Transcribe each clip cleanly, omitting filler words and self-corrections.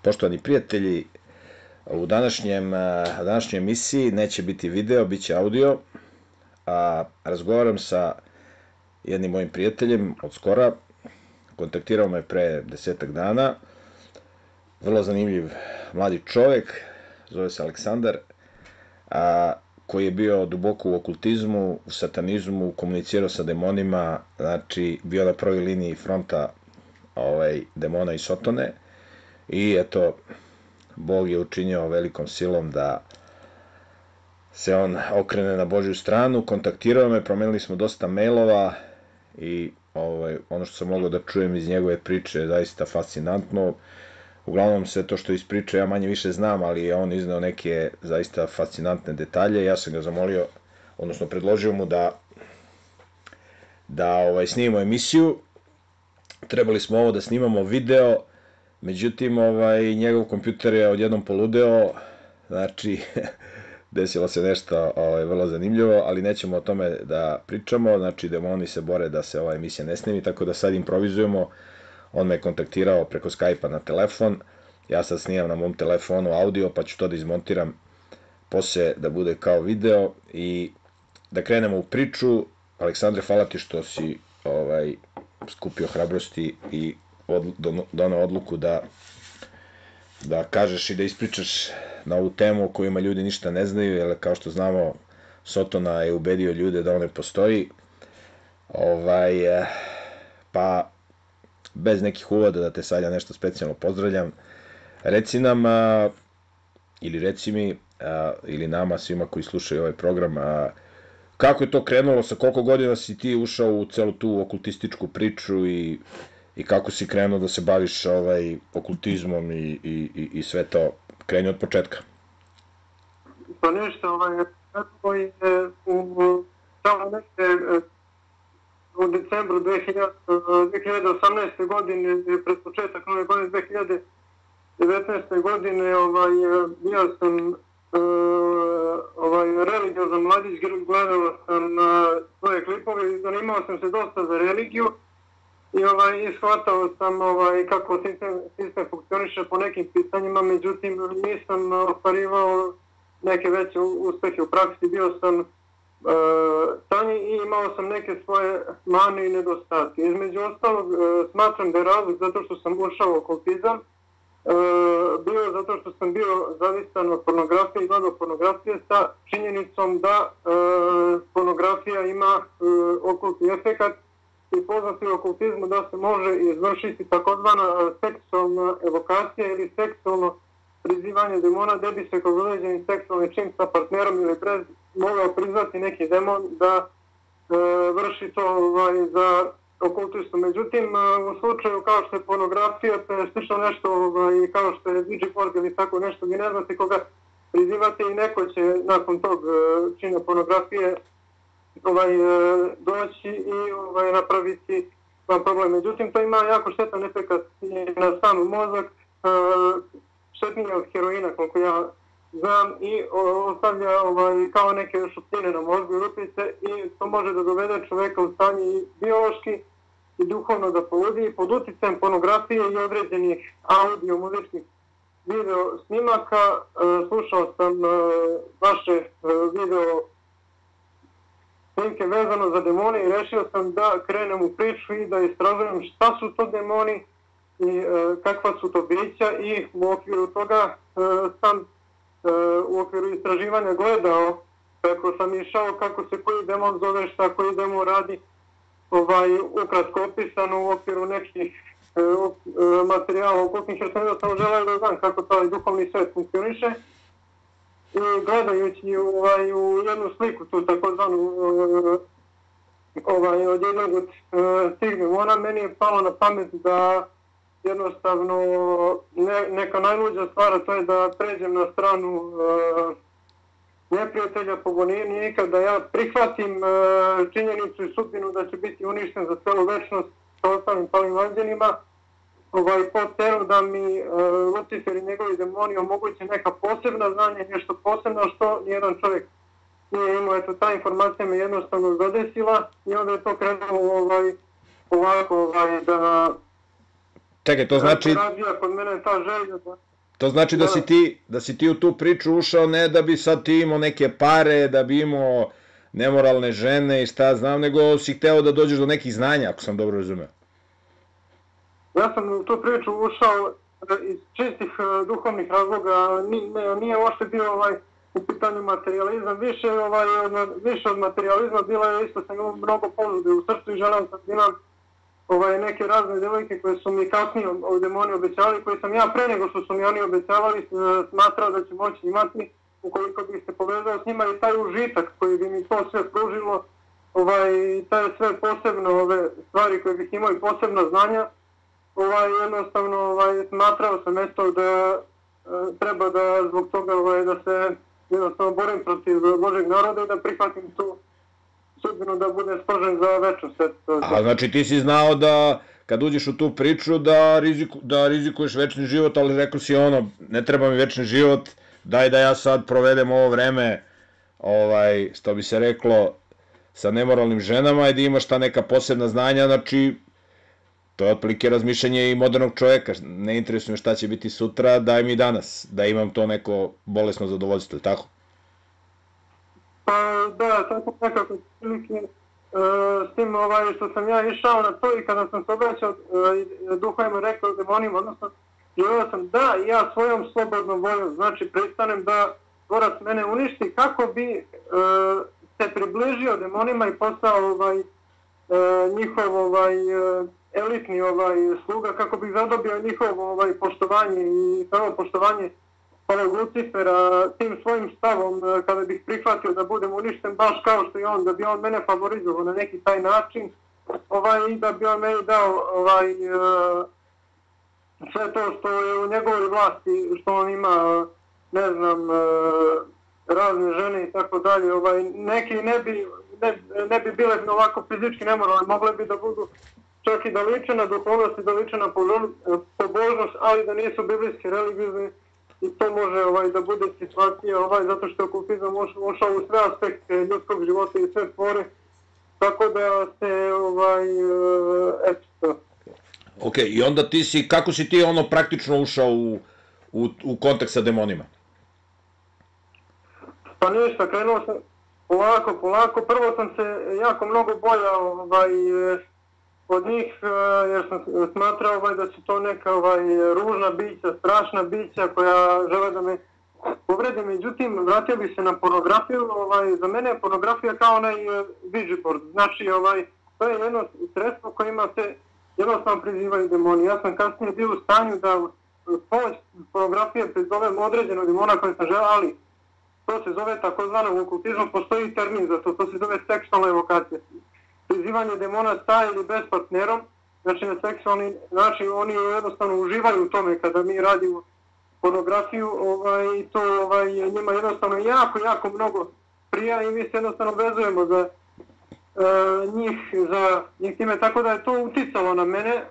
Poštovani prijatelji, u današnjoj emisiji neće biti video, bit će audio. Razgovaram sa jednim mojim prijateljem od skora, kontaktirao me pre 10-ak dana, vrlo zanimljiv mladi čovek, zove se Aleksandar, koji je bio duboko u okultizmu, u satanizmu, komunicirao sa demonima, znači bio na prvoj liniji fronta demona i sotone. I eto, Bog je učinio velikom silom da se on okrene na Božju stranu, kontaktirao me, promenili smo dosta mailova i ono što sam mogao da čujem iz njegove priče je zaista fascinantno. Uglavnom sve to što ispriča ja manje više znam, ali je on izneo neke zaista fascinantne detalje. Ja sam ga zamolio, odnosno predložio mu da snimimo emisiju. Trebali smo ovo da snimamo video, međutim, njegov kompjuter je odjednom poludeo, znači, desilo se nešto vrlo zanimljivo, ali nećemo o tome da pričamo, znači, demoni se bore da se ova emisija ne snimi, tako da sad improvizujemo. On me kontaktirao preko Skype-a na telefon, ja sad snimam na mom telefonu audio, pa ću to da izmontiram posle da bude kao video i da krenemo u priču. Aleksandre, hvala ti što si skupio hrabrosti i donao odluku da kažeš i da ispričaš na ovu temu o kojima ljudi ništa ne znaju, jer kao što znamo, Sotona je ubedio ljude da on ne postoji. Pa bez nekih uvoda da te sad ja nešto specijalno pozdravljam, reci nam, ili reci mi, ili nama, svima koji slušaju ovaj program, kako je to krenulo, sa koliko godina si ti ušao u celu tu okultističku priču i kako si krenuo da se baviš okultizmom i sve to, kreni od početka. Pa ništa, kako je u decembru 2018. godine, pred početak nove godine 2019. godine, bio sam religiozan mladić, gledao sam svoje klipove i zanimao sam se dosta za religiju i shvatao sam kako sistem funkcioniše po nekim pitanjima, međutim nisam ostvarivao neke veće uspehe u praksi, bio sam tanji i imao sam neke svoje mane i nedostatke. Između ostalog, smatram da je razlog zato što sam ušao u okultizam, bio zato što sam bio zavisan od pornografije i gledao pornografije sa činjenicom da pornografija ima okultni efekat i poznati u okultizmu da se može izvršiti takozvana seksualna evokacija ili seksualno prizivanje demona, da bi se kroz određeni seksualni čin sa partnerom ili mogao prizvati neki demon da vrši to za okultistu. Međutim, u slučaju kao što je pornografija, to je slično nešto kao što je Ouija ili tako nešto, vi ne znate koga prizivate i neko će nakon tog čina pornografije doći i napraviti vam problem. Međutim, to ima jako štetan efekat na sam mozak, štetnije od heroina, koliko ja znam, i ostavlja kao neke šupljine na mozgu i rupice i to može da dovede čoveka u stanje i biološki i duhovno da poludi. Pod uticajem pornografije i određenih audio, muzičkih video snimaka slušao sam vaše video snimke vezano za demone i rešio sam da krenem u priču i da istražujem šta su to demoni i kakva su to bića i u okviru toga sam u okviru istraživanja gledao kako sam išao, kako se koji demon zove, šta koji demon radi, ukratko opisano u okviru nekih materijala okultnih, jer sam jednostavno želeo da znam kako taj duhovni svet funkcioniše. I gledajući u jednu sliku, tu takozvanu od jednog od tih demona, meni je palo na pamet da jednostavno neka najluđa stvar, to je da pređem na stranu neprijatelja, pogonije nikad, da ja prihvatim činjenicu i sudbinu da će biti uništen za celu večnost sa ostalim palim anđelima, po cenu da mi Lucifer i njegovi demoni omoguće neka posebna znanja, nešto posebno što nijedan čovjek nije imao. Eto, ta informacija me jednostavno zadesila i onda je to krenulo ovako da Čekaj, to znači... Kod mene ta želja da... To znači da si ti u tu priču ušao ne da bi sad ti imao neke pare, da bi imao nemoralne žene i šta znam, nego si hteo da dođeš do nekih znanja, ako sam dobro razumeo. Ja sam u tu priču ušao iz čistih duhovnih razloga, nije uopšte bio u pitanju materializam, više od materializma bilo je isto sam imao mnogo ponude u srcu i želeo sam da imam neke razne devojke koje su mi kasnije demoni obećavali, koje sam ja pre nego što su mi oni obećavali smatrao da ću moći imati ukoliko bih se povezao s njima i taj užitak koji bi mi to sve pružilo, taj sve posebno ove stvari koje bih imao i posebna znanja, jednostavno smatrao sam eto da treba da zbog toga da se jednostavno borim protiv Božeg naroda i da prihvatim tu sudbinu da bude spržen za večnost. A znači ti si znao da kad uđeš u tu priču da rizikuješ večni život, ali rekao si ne treba mi večni život, daj da ja sad provedem ovo vreme, što bi se reklo, sa nemoralnim ženama i da imaš ta neka posebna znanja, znači to je otprilike razmišljanje i modernog čoveka, ne interesuje me šta će biti sutra, daj mi danas, da imam to neko bolesno zadovoljstvo, tako? Pa da, tako nekako prilike, s tim što sam ja išao na to i kada sam se obraćao duhovima rekao demonima, odnosno želeo sam da ja svojom slobodnom voljom, znači pristanem da tvorac mene uništi kako bi se približio demonima i postao njihov elitni sluga, kako bih zadobio njihovo poštovanje i samo poštovanje Lucifera tim svojim stavom kada bih prihvatio da budem uništen baš kao što i on, da bi on mene favorizovao na neki taj način i da bi on meni dao sve to što je u njegovoj vlasti, što on ima, ne znam, razne žene i tako dalje, neki ne bi bile ovako fizički nemoralne, mogle bi da budu čak i da liče na duhovnost i da liče na pobožnost, ali da nisu biblijski religiozni i to može da bude situacija zato što je okultizam ušao u sve aspekte ljudskog života i sve tvore, tako da se eto. Ok, i onda kako si ti praktično ušao u kontakt sa demonima? Pa ništa, krenuo sam polako, prvo sam se jako mnogo bojao od njih, jer sam smatrao da su to neka ružna bića, strašna bića koja žele da me povrede. Međutim, vratio bih se na pornografiju. Za mene je pornografija kao onaj Ouija board. Znači, to je jedno sredstvo kojima se jednostavno prizivaju demoni. Ja sam kasnije bio u stanju da pomoć pornografije prizovem određenog demona koje sam želeo, ali to se zove takozvano u okultizmu, postoji termin za to se zove seksualna evokacija. Prizivanje demona sa ili bez partnerom, znači na seksualni način oni jednostavno uživaju u tome kada mi radimo pornografiju i to njima jednostavno jako mnogo prija i mi se jednostavno vezujemo za njih time, tako da je to uticalo na mene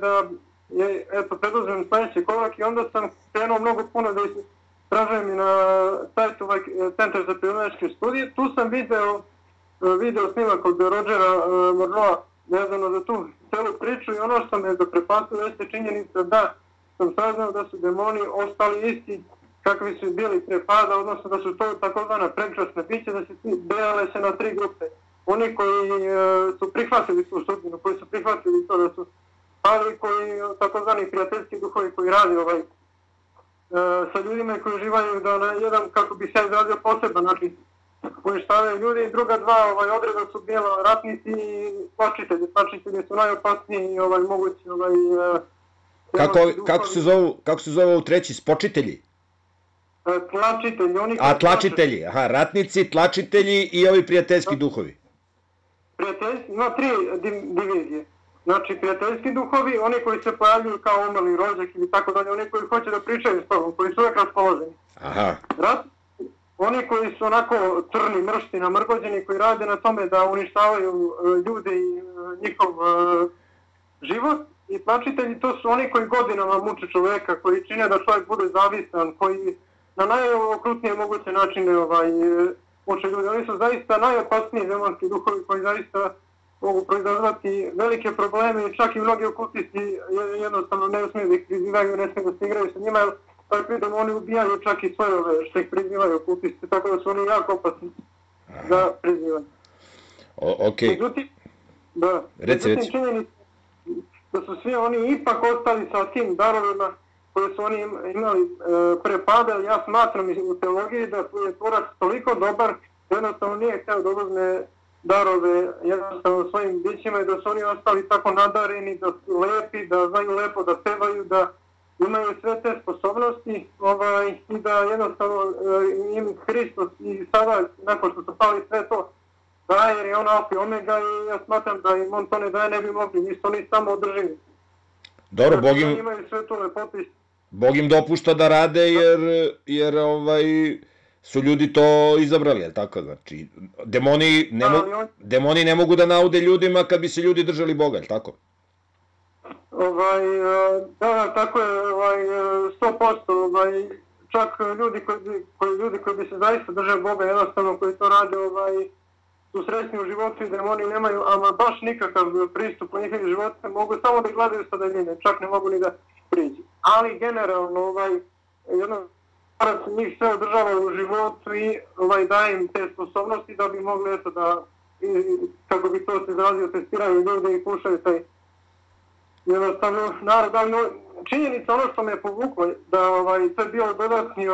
da preduzmem sledeći korak i onda sam krenuo mnogo puno da istražujem i na sajtu Centar za pionirske studije. Tu sam video snimak od Rodgera Morroa vezano za tu celu priču i ono što me zaprepastilo jeste činjenica da sam saznao da su demoni ostali isti kakvi su bili pre pada, odnosno da su to takozvana prekrasna bića, da se delale se na 3 grupe. Oni koji su prihvatili tu sudbinu, koji su prihvatili to da su pali, koji takozvani prijateljski duhovi koji radi sa ljudima koji uživaju da na jedan, kako bi se izrazio, poseban način uništavaju ljudi i druga dva odreda su bila ratnici i tlačitelji. Tlačitelji su najopasniji i mogući Kako se zove u treći, spočitelji? Tlačitelji. Tlačitelji, ratnici, tlačitelji i ovi prijateljski duhovi. Prijateljski, ima 3 divizije. Znači, prijateljski duhovi, oni koji se pojavljuju kao umrli rođak ili tako dalje, oni koji hoće da pričaju s tobom, koji su uvek raspoloženi. Oni koji su onako crni, mršti, namrgođeni, koji rade na tome da uništavaju ljude i njihov život. I tlačitelji, to su oni koji godinama muče čoveka, koji čine da čovjek bude zavisan, koji na najokrutnije moguće načine muče ljude. Oni su zaista najopasniji demonski duhovi koji zaista mogu proizazvati velike probleme i čak i mnogi okultisti jednostavno ne smiju da ih prizivaju, ne smiju da se igraju sa njima. takvi demoni ubijaju čak i svoje ove što ih prizivaju kultisti, tako da su oni jako opasni za prizivanje. Okej. Međutim, da, Reci. činjenica da su svi oni ipak ostali sa tim darovima koje su oni imali pre pada. Ja smatram u teologiji da je tvorac toliko dobar, jednostavno nije htio da uzme darove jednostavno svojim bićima i da su oni ostali tako nadareni, da su lepi, da znaju lepo da pevaju, da imaju sve te sposobnosti i da jednostavno im Hristos i sada, nakon što su pali sve to, daje jer je on alfa i omega i ja smatram da im on to ne daje, ne bi mogli, nisu oni samo održivi. Dobro, Bog im dopušta da rade jer su ljudi to izabrali, je li tako? Znači, demoni ne mogu da naude ljudima kad bi se ljudi držali Boga, je li tako? Da, tako je, 100%, čak ljudi koji bi se zaista držali Boga, jednostavno koji to rade, su srećni u životu i demoni nemaju, ama baš nikakav pristup u njihovim životima, mogu samo da gledaju sa daljine, čak ne mogu ni da priđu. Ali generalno, jedno njih sve održava u životu i daje im te sposobnosti da bi mogli eto da, kako bi to se izrazio, testiraju ljude i kušaju taj jednostavno narod. Ali činjenica, ono što me je povuklo, da to je bio dodatni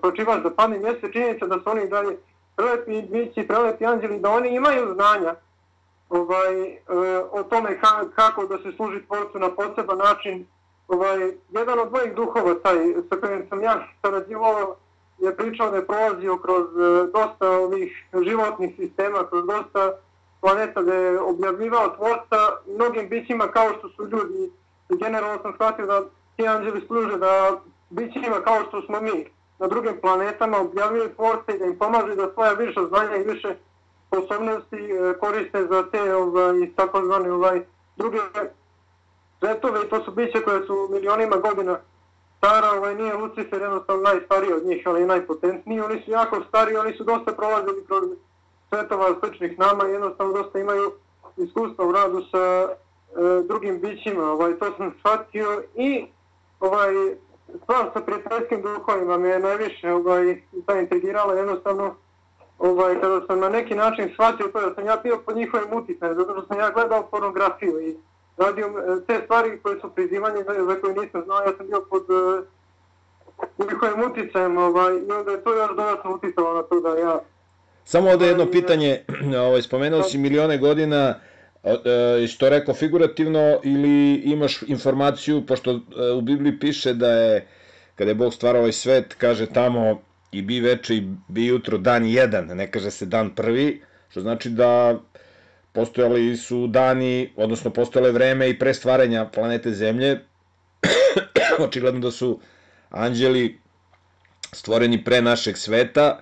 pročivač za padni mjesec, činjenica da su oni dalje prelepi bići, prelepi anđeli, da oni imaju znanja o tome kako da se služi Tvorcu na poseban način. Jedan od mojih duhova, taj sa kojim sam ja sarađivao, je pričao da je prolazio kroz dosta ovih životnih sistema, kroz dosta planeta, da je objavljivao Tvorca mnogim bićima kao što su ljudi. Generalno sam shvatio da ti anđeli služe da bićima kao što smo mi na drugim planetama objavljaju Tvorca i da im pomažu da svoja više znanja i više sposobnosti koriste za te takozvane druge svetove i to su biće koje su milionima godina stara, nije Lucifer jednostavno najstariji od njih, ali i najpotentniji, oni su jako stari, oni su dosta prolazili kroz svetova sličnih nama i jednostavno dosta imaju iskustva u radu sa drugim bićima, to sam shvatio i stvar sa prijateljskim duhovima me je najviše intrigirala jednostavno kada sam na neki način shvatio to da sam ja bio pod njihovim uticajem, zato što sam ja gledao pornografiju i radio te stvari koje su prizivanje za koje nisam znao, ja sam bio pod njihovim uticajem i onda je to još dodatno uticalo na to da ja... Samo ovdje jedno pitanje, spomenuo si milione godina, što rekao figurativno ili imaš informaciju, pošto u Bibliji piše da je, kada je Bog stvarao ovaj svet, kaže tamo i bi veče i bi jutro dan jedan, ne kaže se dan prvi, što znači da postojali su dani, odnosno postojale vreme i pre stvaranja planete Zemlje, očigledno da su anđeli stvoreni pre našeg sveta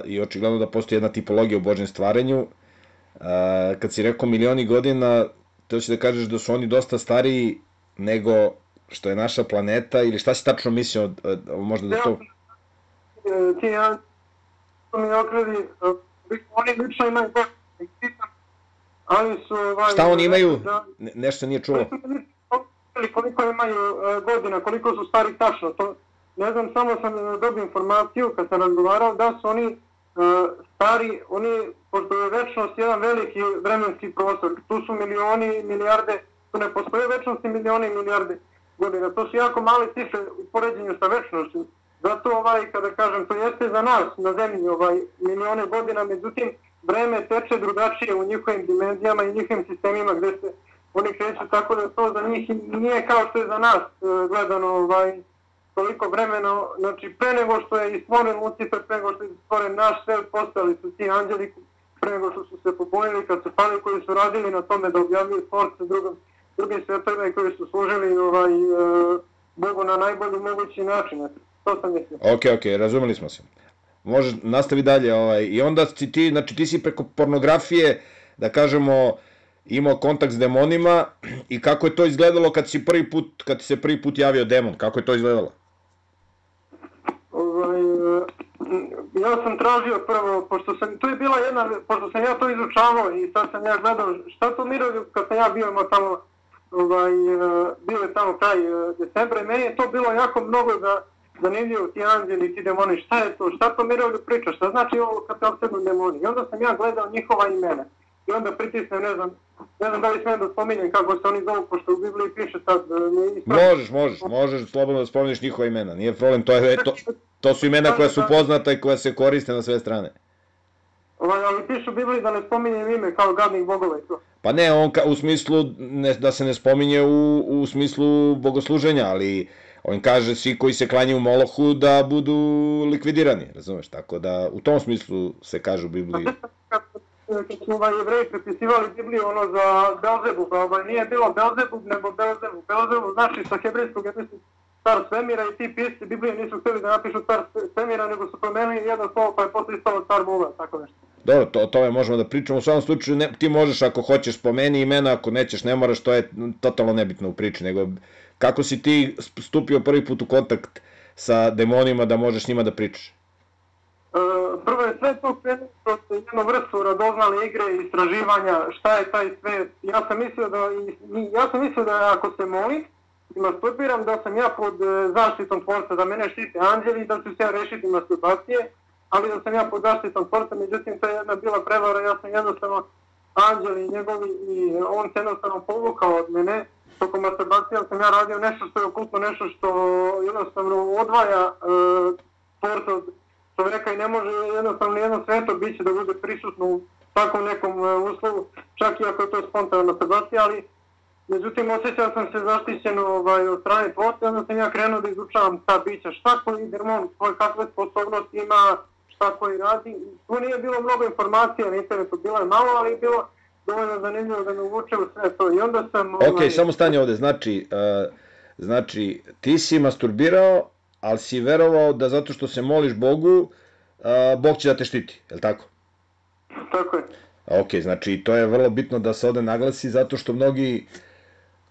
i očigledno da postoji jedna tipologija u Božjem stvaranju. Kad si rekao milioni godina, to će da kažeš da su oni dosta stariji nego što je naša planeta ili šta si tačno mislio, možda da to... Ti mi okredi, oni lično imaju ali su... Šta oni imaju? Nešto nije čulo. Koliko imaju godina, koliko su stari tačno, to ne znam, samo sam dobio informaciju kad sam razgovarao da su oni stari, pošto je večnost jedan veliki vremenski prostor, tu su milioni, milijarde, tu ne postoje večnosti milioni i milijarde godina, to su jako male cifre u poređenju sa večnošću. Zato kada kažem, to jeste za nas na zemlji milione godina, međutim vreme teče drugačije u njihovim dimenzijama i njihovim sistemima gde se oni kreću, tako da to za njih nije kao što je za nas gledano toliko vremena, znači pre nego što je stvoren Lucifer, pre nego što je stvoren naš svet, postojali su ti anđeli, pre nego što su se pobojili kad su pali, koji su radili na tome da objavljaju Tvorca drugim svetovima i koji su služili Bogu na najbolji mogući način. To sam mislio. Ok, razumeli smo se. Može, nastavi dalje. I onda si ti, znači ti si preko pornografije, da kažemo, imao kontakt s demonima i kako je to izgledalo kad ti se prvi put javio demon? Kako je to izgledalo? Ja sam tražio prvo, pošto sam ja to izučavao i sad sam ja gledao šta to Miroljub kad sam ja bio imao tamo bile tamo kraj decembra i meni je to bilo jako mnogo zanimljivo, ti anđeli, ti demoni, šta je to, šta to Mirovlju priča, šta znači ovo kad te opsednu demoni. I onda sam ja gledao njihova imena i onda pritisnem, ne znam da li smijem da spominjem kako se oni zovu, pošto u Bibliji piše sad... Možeš slobodno da spomeniš njihova imena, nije problem, to su imena koja su poznata i koja se koriste na sve strane. Ali piše u Bibliji da ne spominjem ime kao gadnih bogova i to. Pa ne, on u smislu da se ne spominje u smislu bogosluženja, ali on kaže svi koji se klanjaju Molohu da budu likvidirani, razumeš, tako da u tom smislu se kaže u Bibliji. Kad su Jevreji prepisivali Bibliju za Belzebub, nije bilo Belzebub nego Belzebub. Belzebub znači sa hebrejskog car svemira i ti pisci Biblije nisu htjeli da napišu car svemira, nego su promenili jedno slovo pa je posle istalo car Boga, tako nešto. Dobro, o tome možemo da pričamo, u svakom slučaju ti možeš ako hoćeš spomeni imena, ako nećeš ne moraš, to je totalno nebitno u priči, nego kako si ti stupio prvi put u kontakt sa demonima da možeš s njima da pričaš? Prvo je sve to krenuo kroz jednu vrstu radoznale igre i istraživanja šta je taj svet. Ja sam mislio da ako se molim i masturbiram, da sam ja pod zaštitom Tvorca, da mene štite anđeli i da ću se ja rešiti masturbacije, ali da sam ja pod zaštitom Tvorca, međutim to je jedna bila prevara, ja sam jednostavno anđeli njegovi i on se jednostavno povukao od mene. Tokom masturbacije sam ja radio nešto što je okultno, nešto što jednostavno odvaja Tvorca od čovjeka i ne može jednostavno jedno sveto biće da bude prisutno u takvom nekom uslovu, čak i ako je to spontana masturbacija, ali međutim osjećao sam se zaštićeno od strane Tvorca, onda sam ja krenuo da izučavam ta bića, šta koji demon, kakve sposobnosti ima, šta koji radi. Tu nije bilo mnogo informacija na internetu, bilo je malo, ali je bilo dovoljno zanimljivo da me uvuče u sve to. I onda sam... Ok, samo stani ovde, znači ti si masturbirao, ali si verovao da zato što se moliš Bogu, Bog će da te štiti, je li tako? Tako je. Ok, znači to je vrlo bitno da se ovde naglasi, zato što mnogi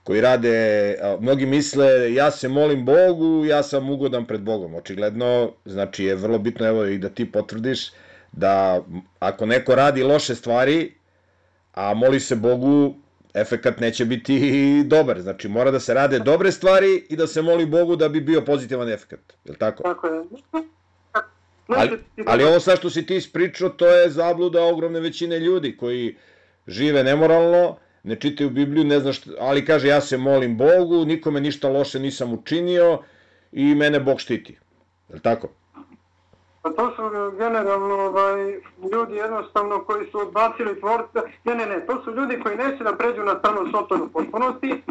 koji rade, mnogi misle ja se molim Bogu, ja sam ugodan pred Bogom. Očigledno, znači je vrlo bitno, evo i da ti potvrdiš, da ako neko radi loše stvari, a moli se Bogu, efekat neće biti dobar. Znači mora da se rade dobre stvari i da se moli Bogu da bi bio pozitivan efekat. Je li tako? Tako je. Ali ovo sad što si ti ispričao, to je zabluda ogromne većine ljudi koji žive nemoralno, ne čitaju Bibliju, ne znaš, ali kaže ja se molim Bogu, nikome ništa loše nisam učinio i mene Bog štiti. Je li tako? Pa to su generalno ljudi jednostavno koji su odbacili Tvorca. Ne, to su ljudi koji neće da pređu na stranu Sotonu potpunosti,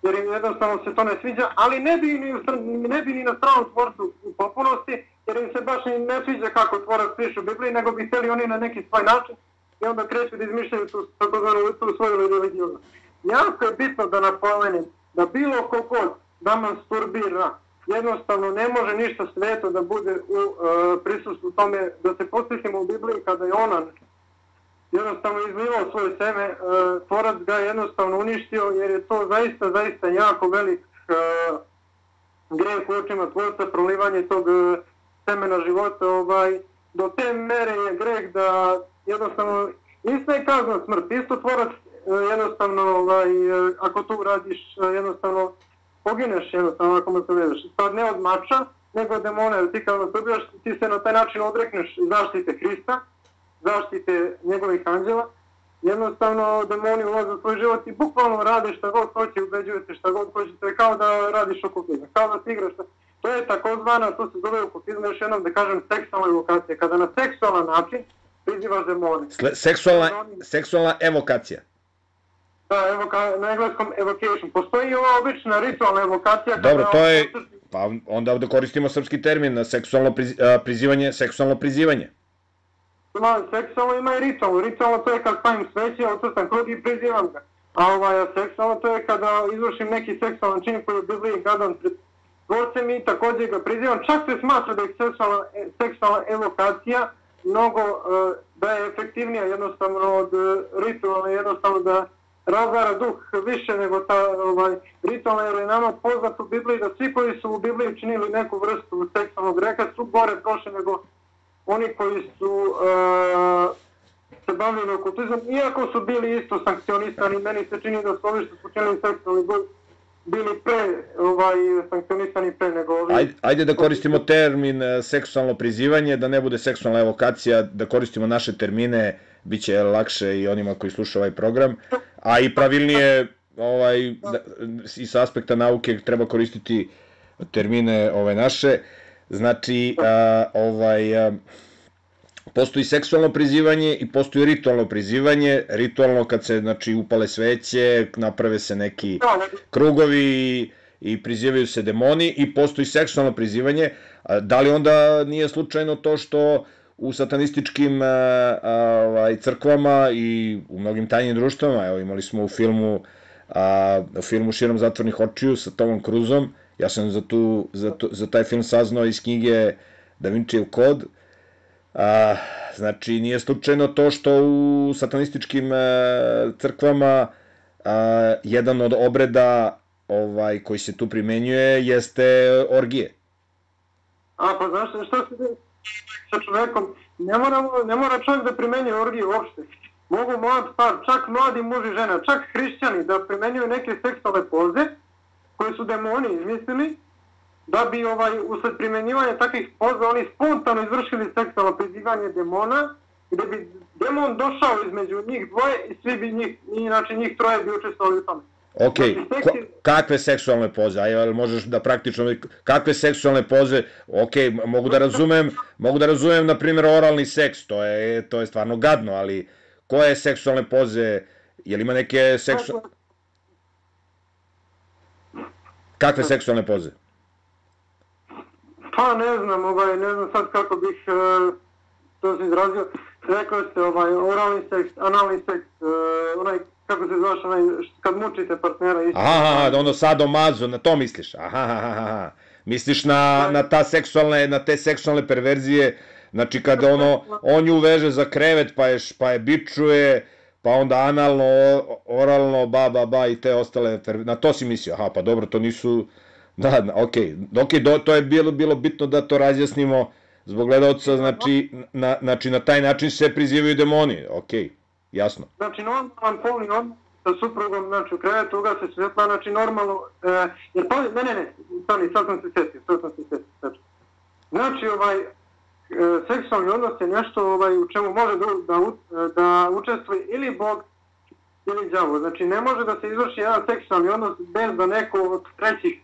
jer im jednostavno se to ne sviđa, ali ne bi ni na stranu Tvorcu u potpunosti, jer im se baš ne sviđa kako Tvorac piše u Bibliji, nego bi htjeli oni na neki svoj način i onda kreću da izmišljaju tu svoju religiju. Jako je bitno da napomenem da bilo kogod da masturbira, jednostavno ne može ništa sveto da bude u prisustvu tome, da se posjetimo u Bibliji kada je Onan jednostavno izlivao svoje seme, Tvorac ga je jednostavno uništio jer je to zaista jako velik greh u očima Tvorca, prolivanje tog semena života, do te mere je greh da jednostavno isto je kazna smrt, isto Tvorac jednostavno ako tu radiš jednostavno pogineš jednostavno ako mu se vedeš. Sad ne od mača, nego od demona, jer ti kada nastupijaš, ti se na taj način odrekneš zaštite Hrista, zaštite njegovih anđela, jednostavno demoni ulaze u tvoj život i bukvalno rade šta god hoće, ubeđujete šta god hoće, to je kao da radiš okultizam, kao da ti igraš. To je takozvana, to se zove okultizam, još jednom da kažem, seksualna evokacija, kada na seksualan način prizivaš demone. Seksualna evokacija. Da, na engleskom evocation. Postoji i ova obična ritualna evokacija. Dobro, to je, pa onda ovde koristimo srpski termin na seksualno prizivanje. Seksualno ima i ritualno. Ritualno to je kad stavim sveće, odsrtam krug i prizivam ga. A seksualno to je kada izvršim neki seksualan čin koji je u Bibliji gadan pred Tvorcem i također ga prizivam. Čak se smatra da je seksualna evokacija mnogo da je efektivnija jednostavno od ritualne, jednostavno da razvara duh više nego ta ritualna, jer je nama poznat u Bibliji da svi koji su u Bibliji učinili neku vrstu seksualnog greha su gore prošli nego oni koji su se bavili okultizmom, iako su bili isto sankcionisani, meni se čini da su ovi što su počinili seksualni bili sankcionisani pre nego ovi. Ajde da koristimo termin seksualno prizivanje, da ne bude seksualna evokacija, da koristimo naše termine, bit će lakše i onima koji slušaju ovaj program, a i pravilnije i sa aspekta nauke treba koristiti termine naše. Znači, postoji seksualno prizivanje i postoji ritualno prizivanje. Ritualno kad se, znači, upale sveće, naprave se neki krugovi i prizivaju se demoni, i postoji seksualno prizivanje. Da li onda nije slučajno to što u satanističkim crkvama i u mnogim tajnim društvama, evo imali smo u filmu Širom zatvornih očiju sa Tomom Cruzom, ja sam za taj film saznao iz knjige Da Vincijev kod. Znači, nije slučajno to što u satanističkim crkvama jedan od obreda koji se tu primenjuje jeste orgije. Pa znaš što se sa čovekom, ne mora čovjek da primenjuje orgije uopšte. Mogu mlad par, čak mladi muž i žena, čak hrišćani da primenjuju neke seksualne poze koje su demoni izmislili, da bi usled primenjivanja takvih poza oni spontano izvršili seksualno prizivanje demona, gde bi demon došao između njih dvoje i svi bi njih troje bi učestvovali u tome. Ok, kakve seksualne poze? Ajde, možeš da praktično, kakve seksualne poze? Ok, mogu da razumem, na primjer, oralni seks, to je stvarno gadno, ali koje seksualne poze, je li ima neke seksualne... Kakve seksualne poze? Pa ne znam sad kako bih to se izrazio. Rekao ste oralni seks, analni seks, kako se zvaš, kad mučite partnera. Ono sadomazo, na to misliš? Misliš na te seksualne perverzije, znači kada on ju veže za krevet pa je bičuje, pa onda analno, oralno, ba i te ostale, na to si mislio? Pa dobro, to nisu... Da, ok, to je bilo bitno da to razjasnimo zbog gledalca, znači na taj način se prizivaju demoni, ok, jasno. Znači normalan polni odnos sa suprugom, znači u krevetu ugase svetla, znači normalno, sad sam se setio. Znači seksualni odnos je nešto u čemu može da učestvuje ili Bog ili đavo. Znači ne može da se izvrši jedan seksualni odnos bez da neko od trećih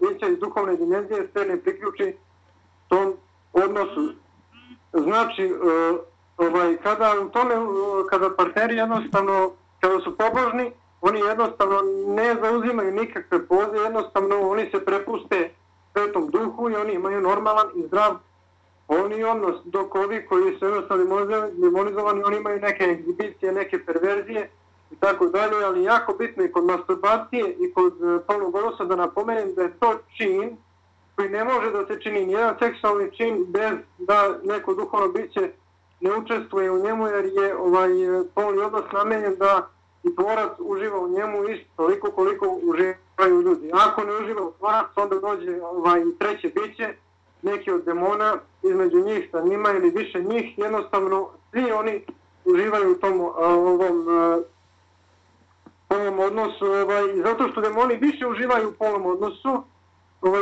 bića iz duhovne dimenzije se ne priključi tom odnosu. Znači, kada partneri jednostavno, kada su pobožni, oni jednostavno ne zauzimaju nikakve poze, jednostavno oni se prepuste Svetom Duhu i oni imaju normalan i zdrav polni odnos, dok ovi koji su jednostavno demonizovani, oni imaju neke egzibicije, neke perverzije i tako dalje, ali jako bitno i kod masturbacije i kod polnog odnosa da napomenem da je to čin koji ne može da se čini nijedan seksualni čin bez da neko duhovno biće ne učestvuje u njemu, jer je polni odnos namenjen da i tvorac uživa u njemu isto toliko koliko uživaju ljudi. Ako ne uživa u tvorac, onda dođe treće biće, neki od demona, između njih sa njima ili više njih, jednostavno svi oni uživaju u tom polnom odnosu, i zato što demoni više uživaju u polnom odnosu,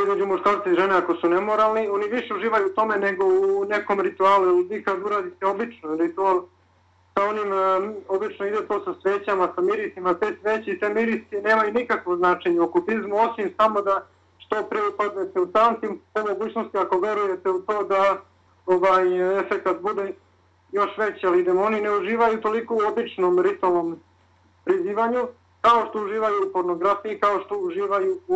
između muškarca i žene ako su nemoralni, oni više uživaju u tome nego u nekom ritualu, ili kad uradite obično ritual, sa onim, obično ide to sa svećama, sa mirisima, te sveće i te mirisi nemaju nikakvo značenje u okultizmu, osim samo da što pre upadnete u tantim, po mogućnosti ako verujete u to da efekat bude još veći, ali demoni ne uživaju toliko u običnom ritualnom prizivanju, kao što uživaju u pornografiji, kao što uživaju u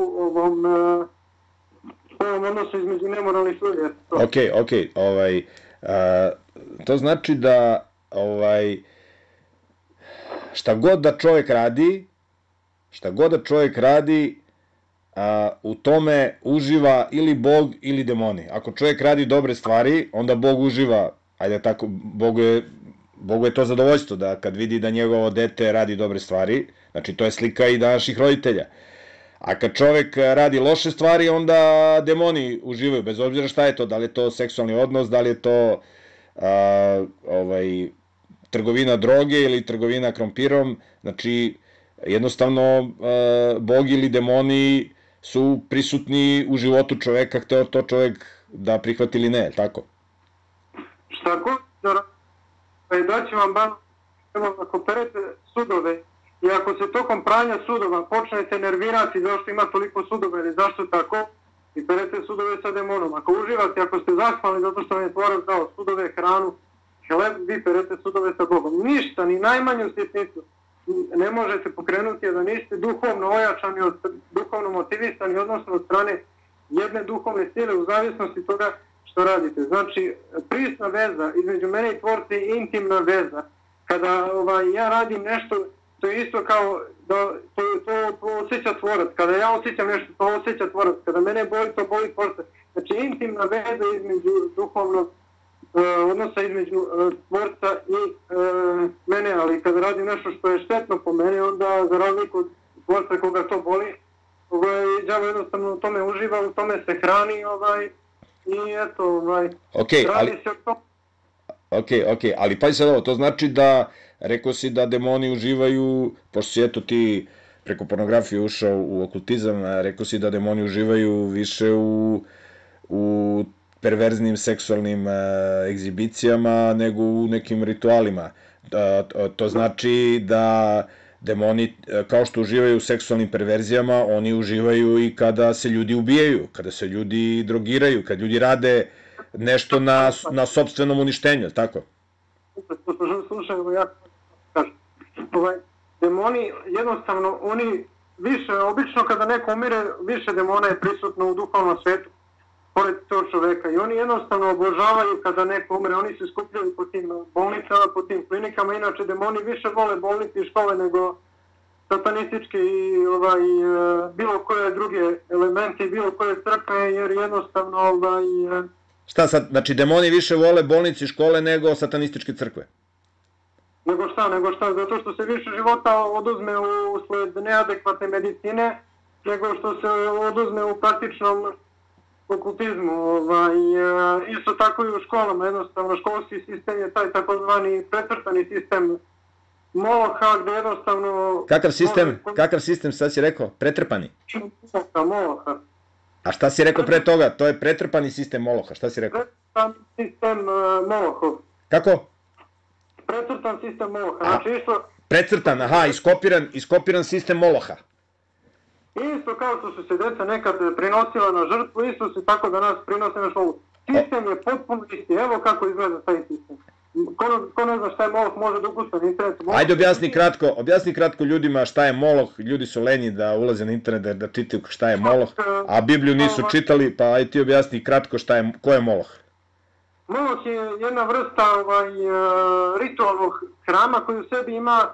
ovom odnosu između nemoralnih ljudi. Ok, to znači da šta god da čovjek radi, u tome uživa ili Bog ili demoni. Ako čovjek radi dobre stvari, onda Bog uživa, ajde tako, Bogu je to zadovoljstvo da kad vidi da njegovo dete radi dobre stvari, znači to je slika i današnjih roditelja. A kad čovek radi loše stvari, onda demoni uživaju, bez obzira šta je to, da li je to seksualni odnos, da li je to trgovina droge ili trgovina krompirom, znači jednostavno bog ili demoni su prisutni u životu čoveka, hteo to čovek da prihvati ili ne, tako? Šta god daći vam bar, ako perete sudove i ako se tokom pranja sudova počnete nervirati zašto ima toliko sudova ili zašto tako, i perete sudove sa demonom. Ako uživate, ako ste zahvalni zato što vam je tvorac dao sudove, hranu, hleb, vi perete sudove sa Bogom. Ništa, ni najmanju sitnicu ne možete pokrenuti, a da niste duhovno ojačani, duhovno motivisani, odnosno od strane jedne duhovne sile u zavisnosti toga što radite. Znači, prisna veza između mene i tvorca je intimna veza. Kada ja radim nešto, to je isto kao da to osjeća tvorac. Kada ja osjećam nešto, to osjeća tvorac. Kada mene boli, to boli tvorca. Znači, intimna veza između duhovnog odnosa između tvorca i mene, ali kada radim nešto što je štetno po mene, onda za razliku od tvorca koga to boli, đavo jednostavno u tome uživa, u tome se hrani i eto, radi se o tom. Ok, ali pazi sad ovo, to znači da, rekao si da demoni uživaju, pošto si eto ti preko pornografije ušao u okultizam, rekao si da demoni uživaju više u perverznim seksualnim egzibicijama nego u nekim ritualima. To znači da demoni, kao što uživaju u seksualnim perverzijama, oni uživaju i kada se ljudi ubijaju, kada se ljudi drogiraju, kada ljudi rade nešto na sopstvenom uništenju, tako? Slušaj, ja kažem, demoni, jednostavno, oni više, obično kada neko umire, više demona je prisutno u duhovnom svetu, pored tog čoveka, i oni jednostavno obožavaju kada neko umre, oni se skupljaju po tim bolnicama, po tim klinikama, inače demoni više vole bolnice i škole nego satanističke i bilo koje druge elemente i bilo koje crkve, jer jednostavno Šta sad, znači demoni više vole bolnice i škole nego satanističke crkve? Nego šta, zato što se više života oduzme usled neadekvatne medicine, nego što se oduzme u praktičnom okultizmu. Isto tako i u školama, jednostavno školski sistem je taj takozvani precrtani sistem Moloha, gde jednostavno... Kakav sistem, sad si rekao? Pretrpani? Moloha. A šta si rekao pre toga? To je pretrpani sistem Moloha, šta si rekao? Precrtan sistem Molohov. Kako? Precrtan sistem Moloha, znači isto... Precrtan, aha, iskopiran sistem Moloha. Isto kao što su se deca nekad prinosila na žrtvu, isto se tako danas prinose na školu. Sistem je potpuno isti, evo kako izgleda taj sistem. Ko ne zna šta je Moloh, može da ukusta na internetu. Ajde objasni kratko ljudima šta je Moloh, ljudi su lenji da ulaze na internet da čitaju šta je Moloh, a Bibliju nisu čitali, pa ajde ti objasni kratko ko je Moloh. Moloh je jedna vrsta ritualnog hrama koji u sebi ima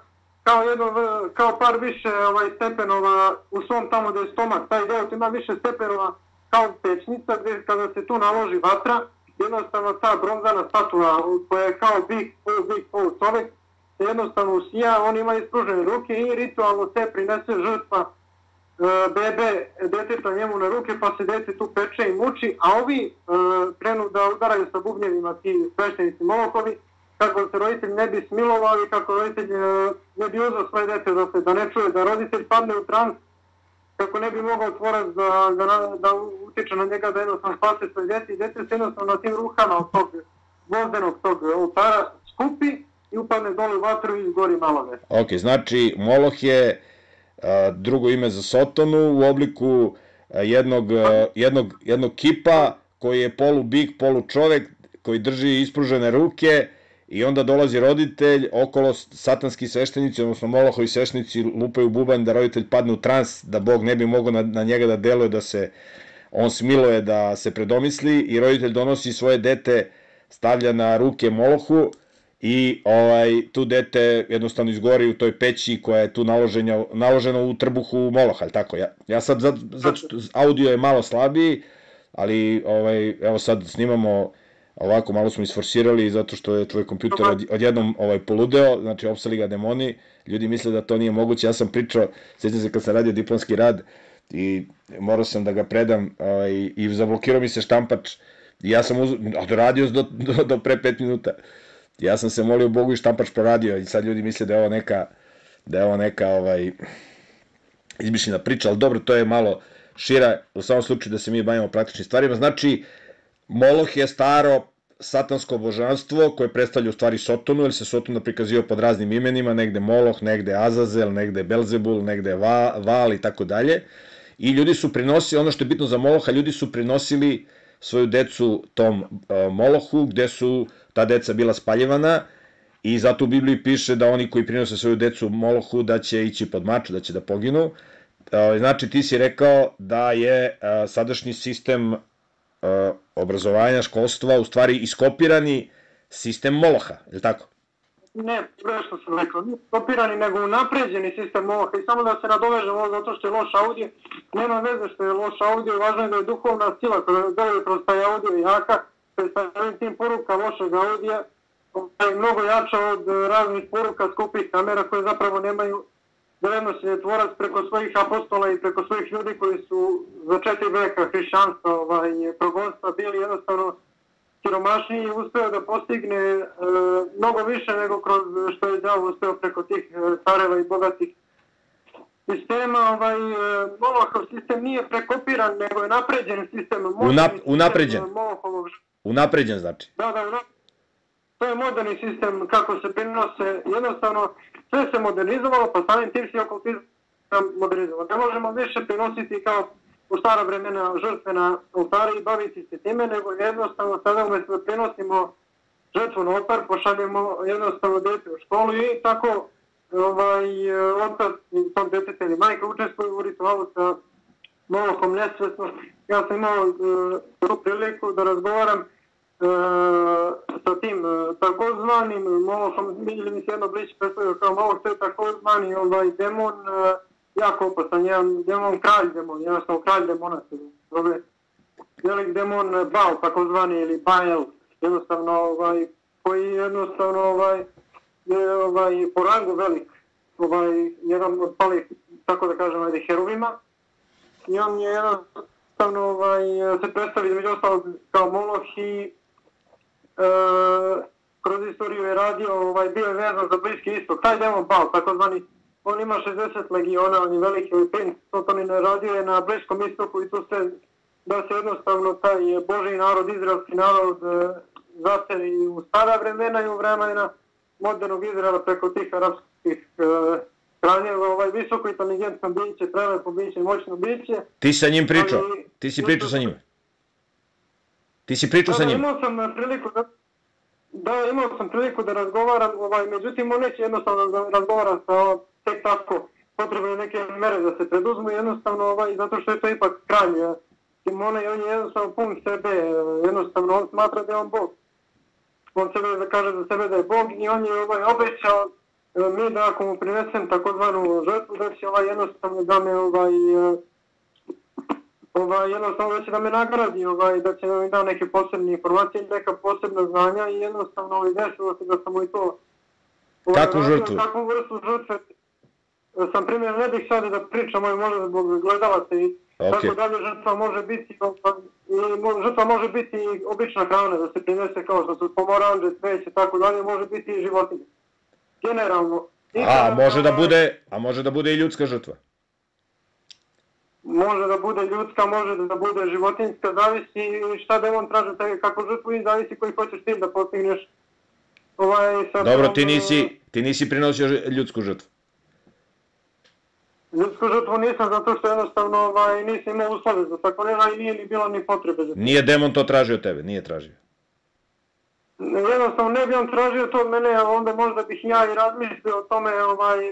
kao par više stepenova u svom tamo gde je stomak, taj deo ima više stepenova kao pećnica gde kada se tu naloži vatra, jednostavno ta bronzana statula koja je kao big pol čovek, jednostavno usija, on ima ispružene ruke i ritualno se prinese žrtva bebe deteta njemu na ruke, pa se dete tu peče i muči, a ovi krenu da udaraju sa bubnjevima ti sveštenici Molohovi, kako se roditelj ne bi smilovao i kako roditelj ne bi uzao svoje dete da ne čuje, da roditelj padne u trans, kako ne bi mogao tvorac da utiče na njega da jednostavno spase svoje dete i dete se jednostavno na tim ruhama od tog gvozdenog tog oltara skupi i upadne dole u vatru i izgori malove. Ok, znači Moloh je drugo ime za Sotonu u obliku jednog kipa koji je polu bik, polu čovek, koji drži ispružene ruke i onda dolazi roditelj, okolo satanski sveštenici, odnosno Molohovi sveštenici lupaju bubanj da roditelj padne u trans, da Bog ne bi mogao na njega da deluje, da se on smiluje, da se predomisli i roditelj donosi svoje dete, stavlja na ruke Molohu i tu dete jednostavno izgori u toj peći koja je tu naložena u trbuhu Moloha, ali tako? Ja sad, audio je malo slabiji, ali evo sad snimamo ovako, malo smo isforsirali zato što je tvoj kompjuter odjednom poludeo, znači opsali ga demoni, ljudi misle da to nije moguće, ja sam pričao, sjećam se kad sam radio diplomski rad i morao sam da ga predam i zablokirao mi se štampač i ja sam radio do pre 5 minuta Ja sam se molio Bogu i štampač poradio i sad ljudi misle da je ovo neka izmišljena priča, ali dobro, to je malo šira, u samom slučaju da se mi bavimo praktičnim stvarima. Znači, Moloh je staro satansko božanstvo koje predstavlja u stvari Sotonu, jer se Sotona prikazio pod raznim imenima, negde Moloh, negde Azazel, negde Belzebul, negde Val i tako dalje. I ljudi su prinosili, ono što je bitno za Moloha, ljudi su prinosili svoju decu tom Molohu, gde su ta deca bila spaljivana, i zato u Bibliji piše da oni koji prinose svoju decu Molohu da će ići pod mač, da će da poginu. Znači, ti si rekao da je sadašnji sistem obrazovanja, školstva, u stvari iskopirani sistem Moloha, je li tako? Ne, sve što sam rekao, nije iskopirani, nego unapređeni sistem Moloha. I samo da se nadovežemo zato što je loš audio, nema veze što je loš audio, važno je da je duhovna sila koja deluje kroz taj audio jaka, predstavljaju tim poruka lošeg audija, je mnogo jača od raznih poruka skupih kamera koje zapravo nemaju vrednosti tvorac preko svojih apostola i preko svojih ljudi koji su za 4 veka hrišćanstva, progonstva bili jednostavno siromašniji i uspeo da postigne mnogo više nego kroz što je đavo uspeo preko tih careva i bogatih sistema. Molohov sistem nije prekopiran, nego je napređen sistem. Unapređen. Unapređen znači. Da. To je moderni sistem kako se prinose, jednostavno sve se modernizovalo, pa samim tim se okultizam modernizovalo. Ne možemo više prinositi kao u stara vremena žrtve na oltari i baviti se time, nego jednostavno sada umjesto da prinosimo žrtvu na oltar, pošaljemo jednostavno dete u školu i tako otac tog deteta ili majka učestvuju u ritualu sa Molohom nesvesno. Ja sam imao tu priliku da razgovaram sa tim takozvanim Molohom, ili mi se jedno bliže predstavio kao Moloh, to je takozvani demon, jako opasan, jedan demon, kralj demon, jednostavno kralj demona se zove, velik demon Baal, takozvani, ili Baal, jednostavno, koji jednostavno je po rangu velik, jedan od palih, tako da kažem, heruvima, i on je jednostavno se predstavi među ostalog kao Moloh i kroz istoriju je radio, bio je vezan za Bliski istok. Taj demon Baal, takozvani, on ima 60 legiona, on je veliki princ, Sotonin radio je na Bliskom istoku i tu se, da se jednostavno taj Božji narod, izraelski narod, zaseli u stara vremena i u vremena modernog Izraela preko tih arapskih kraljeva, visoko inteligentno biće, prelepo biće, moćno biće. Ti si sa njim pričao? Ti si pričao sa njim? Ti si pričao sa njim? Imao sam priliku da razgovaram, međutim on neće jednostavno da razgovara sa tek tako, potrebne neke mere da se preduzmu, jednostavno zato što je to ipak kralj Simona i on je jednostavno pun sebe, jednostavno on smatra da je on Bog. On sebe kaže za sebe da je Bog i on je obećao mi da ako mu prinesem takozvanu žrtvu da će jednostavno da me jednostavno da će da me nagradi, da će da mi da neke posebne informacije, neka posebna znanja i jednostavno desilo se da sam mu i to kakvu žrtvu? Kakvu vrstu žrtve sam primjer, ne bih sada da pričam, možda zbog gledalaca i tako dalje, žrtva može biti i obična hrana, da se prinese kao što su pomoranđe, cveće, tako dalje, može biti i životinje. Generalno. Može da bude i ljudska žrtva? Može da bude ljudska, može da bude životinjska, zavisi šta demon traže tebe kako žrtvu i zavisi koji hoćeš ti da postigneš. Dobro, ti nisi prinosio ljudsku žrtvu? Ljudsku žrtvu nisam zato što jednostavno nisam imao uslove za tako nešto i nije ni bilo ni potrebe za to. Nije demon to tražio od tebe, nije tražio? Jednostavno ne bi on tražio to od mene, onda možda bih ja i razmislio o tome,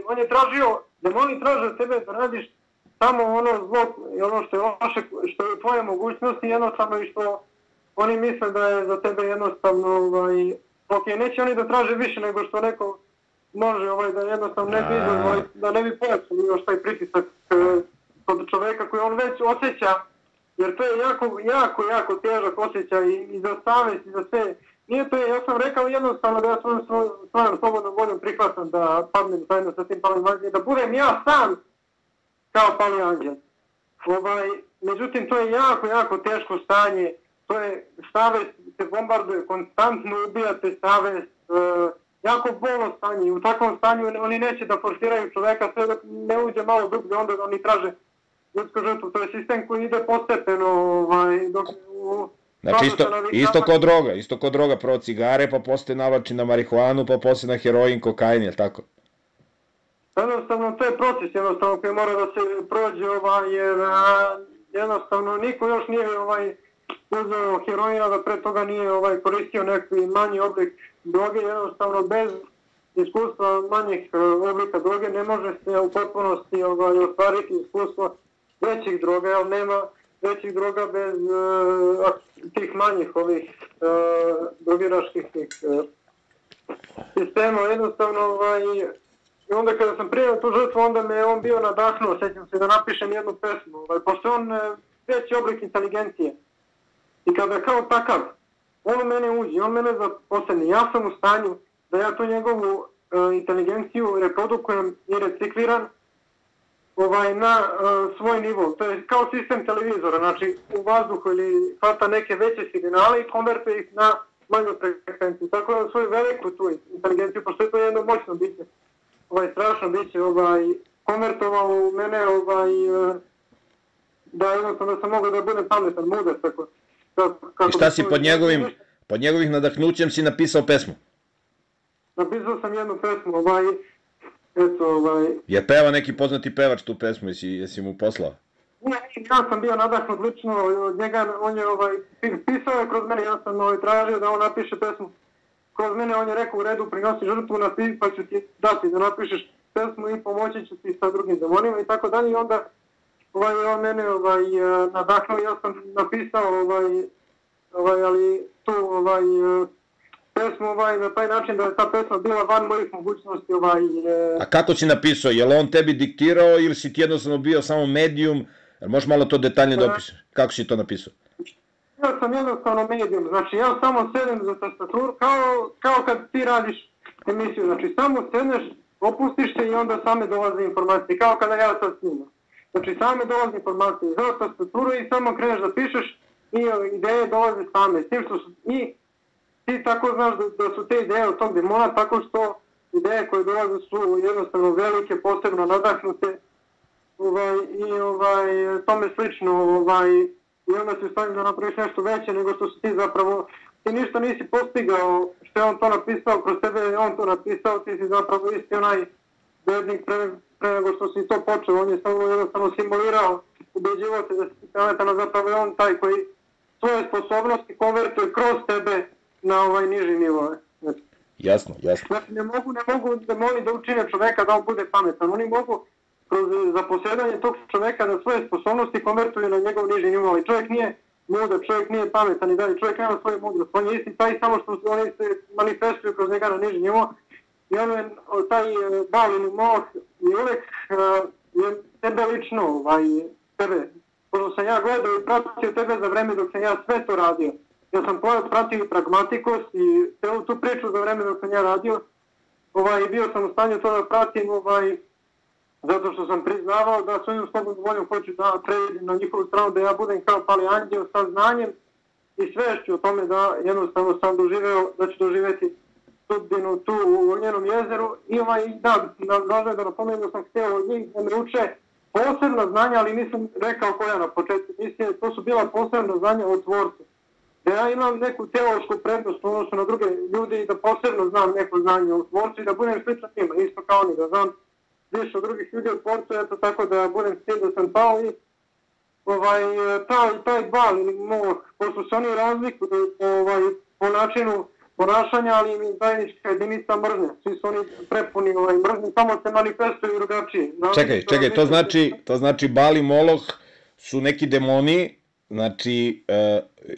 on je tražio, demoni traže od tebe da radiš samo ono zlo i ono što je loše, što je tvoje mogućnosti, jednostavno i što oni misle da je za tebe jednostavno, ok, neće oni da traže više nego što neko može, da jednostavno ne bi da ne bi pojačali još taj pritisak kod čoveka koji on već osjeća, jer to je jako težak osjećaj i za savjest i za sve. Nije to, ja sam rekao jednostavno da ja svojom slobodnom voljom prihvatam da padnem zajedno sa tim palim anđelom, da budem ja sam kao pali anđel. Međutim, to je jako teško stanje, to je savjest se bombarduje, konstantno ubijate savjest, jako bolno stanje i u takvom stanju oni neće da forsiraju čoveka sve dok ne uđe malo dublje, onda oni traže ljudsku žrtvu. To je sistem koji ide postepeno, dok Znači isto ko droga, prvo cigare, pa posle navlači na marihuanu, pa posle na heroin, kokain, je li tako? Jednostavno, to je proces jednostavno koji mora da se prođe, jer jednostavno niko još nije uzeo heroina, da pre toga nije koristio neki manji oblik droge, jednostavno bez iskustva manjih oblika droge ne može se u potpunosti ostvariti iskustvo većih droga, jer nema većih droga bez tih manjih ovih drogiraških sistema. Jednostavno, i onda kada sam prijavio tu žrtvu, onda me on bio nadahnuo, sjećam se da napišem jednu pesmu, pošto on veći oblik inteligencije. I kada kao takav, on u mene uđe, on mene zaposledni, ja sam u stanju da ja tu njegovu inteligenciju reprodukujem i recikliram na svoj nivo. To je kao sistem televizora, znači u vazduhu ili hvata neke veće signale i konvertuje ih na manju frekvenciju. Tako da svoju veliku tu inteligenciju, pošto je to jedno moćno biće, strašno biće, konvertovao u mene, da jednostavno sam mogao da budem pametan, mudar, tako. I šta si pod njegovih nadahnućem si napisao pesmu? Napisao sam jednu pesmu, Je peva neki poznati pevač tu pesmu, jesi mu poslao? Ne, ja sam bio nadahnut lično od njega, on je pisao je kroz mene, ja sam tražio da on napiše pesmu kroz mene, on je rekao u redu, prinosi žrtvu, pa ću ti dati da napišeš pesmu i pomoći ću ti sa drugim demonima i tako dalje. I onda on mene nadahnuo, ja sam napisao ali tu pesmu na taj način da je ta pesma bila van mojih mogućnosti. A kako si napisao? Je li on tebi diktirao ili si ti jednostavno bio samo medijum? Možeš malo to detaljnije da opišeš? Kako si to napisao? Ja sam jednostavno medijum, znači ja samo sedem za tastaturu, kao kad ti radiš emisiju, znači samo sedneš, opustiš se i onda same dolaze informacije, kao kada ja sad snimam. Znači same dolaze informacije za tastaturu i samo kreneš da pišeš i ideje dolaze same, s tim što su i ti tako znaš da su te ideje od tog demona, tako što ideje koje dolaze su jednostavno velike, posebno nadahnute i tome slično, i onda se stavim da napraviš nešto veće nego što si ti zapravo, ti ništa nisi postigao što je on to napisao, kroz tebe je on to napisao, ti si zapravo isti onaj bednik pre nego što si to počeo, on je samo jednostavno simulirao, ubeđivao se da si pametan, a zapravo je on taj koji svoje sposobnosti konvertuje kroz tebe na niži nivo. Jasno. Znači ne mogu demoni da učine čoveka da on bude pametan, oni mogu kroz zaposjedanje tog čoveka da svoje sposobnosti konvertuju na njegov niži nivo, ali čovjek nije mudar, čovjek nije pametan i dalje, čovjek nema svoju mudrost, on je isti taj samo što oni se manifestuju kroz njega na niži nivo i on je taj balini moh i uvek je tebe lično, tebe, pošto sam ja gledao i pratio tebe za vreme dok sam ja sve to radio. Ja sam pratio i pragmatikos i celu tu priču za vreme dok sam ja radio, bio sam u stanju to da pratim, zato što sam priznavao da svojim slobodnom voljom hoću da pređem na njihovu stranu, da ja budem kao pali anđeo sa znanjem i svešću o tome da jednostavno sam doživeo, da ću doživeti sudbinu tu u njenom jezeru i važno je da napomenem da sam htio od njih da me uče posebna znanja, ali nisam rekao koja na početku, mislim, to su bila posebna znanja o tvorcu. Da ja imam neku teološku prednost u odnosu na druge ljudi i da posebno znam neko znanje o tvorcu i da budem sličan njima, isto kao oni, da znam više od drugih ljudi od tvorcu, eto tako da budem s tim da sam pao i taj bal ili moh, pošto se oni razlikuju po načinu ponašanja, ali im je zajednička jedinica mržnja, svi su oni prepuni mržnje, samo se manifestuju drugačije. Čekaj, to znači Bal i Moloh su neki demoni, znači,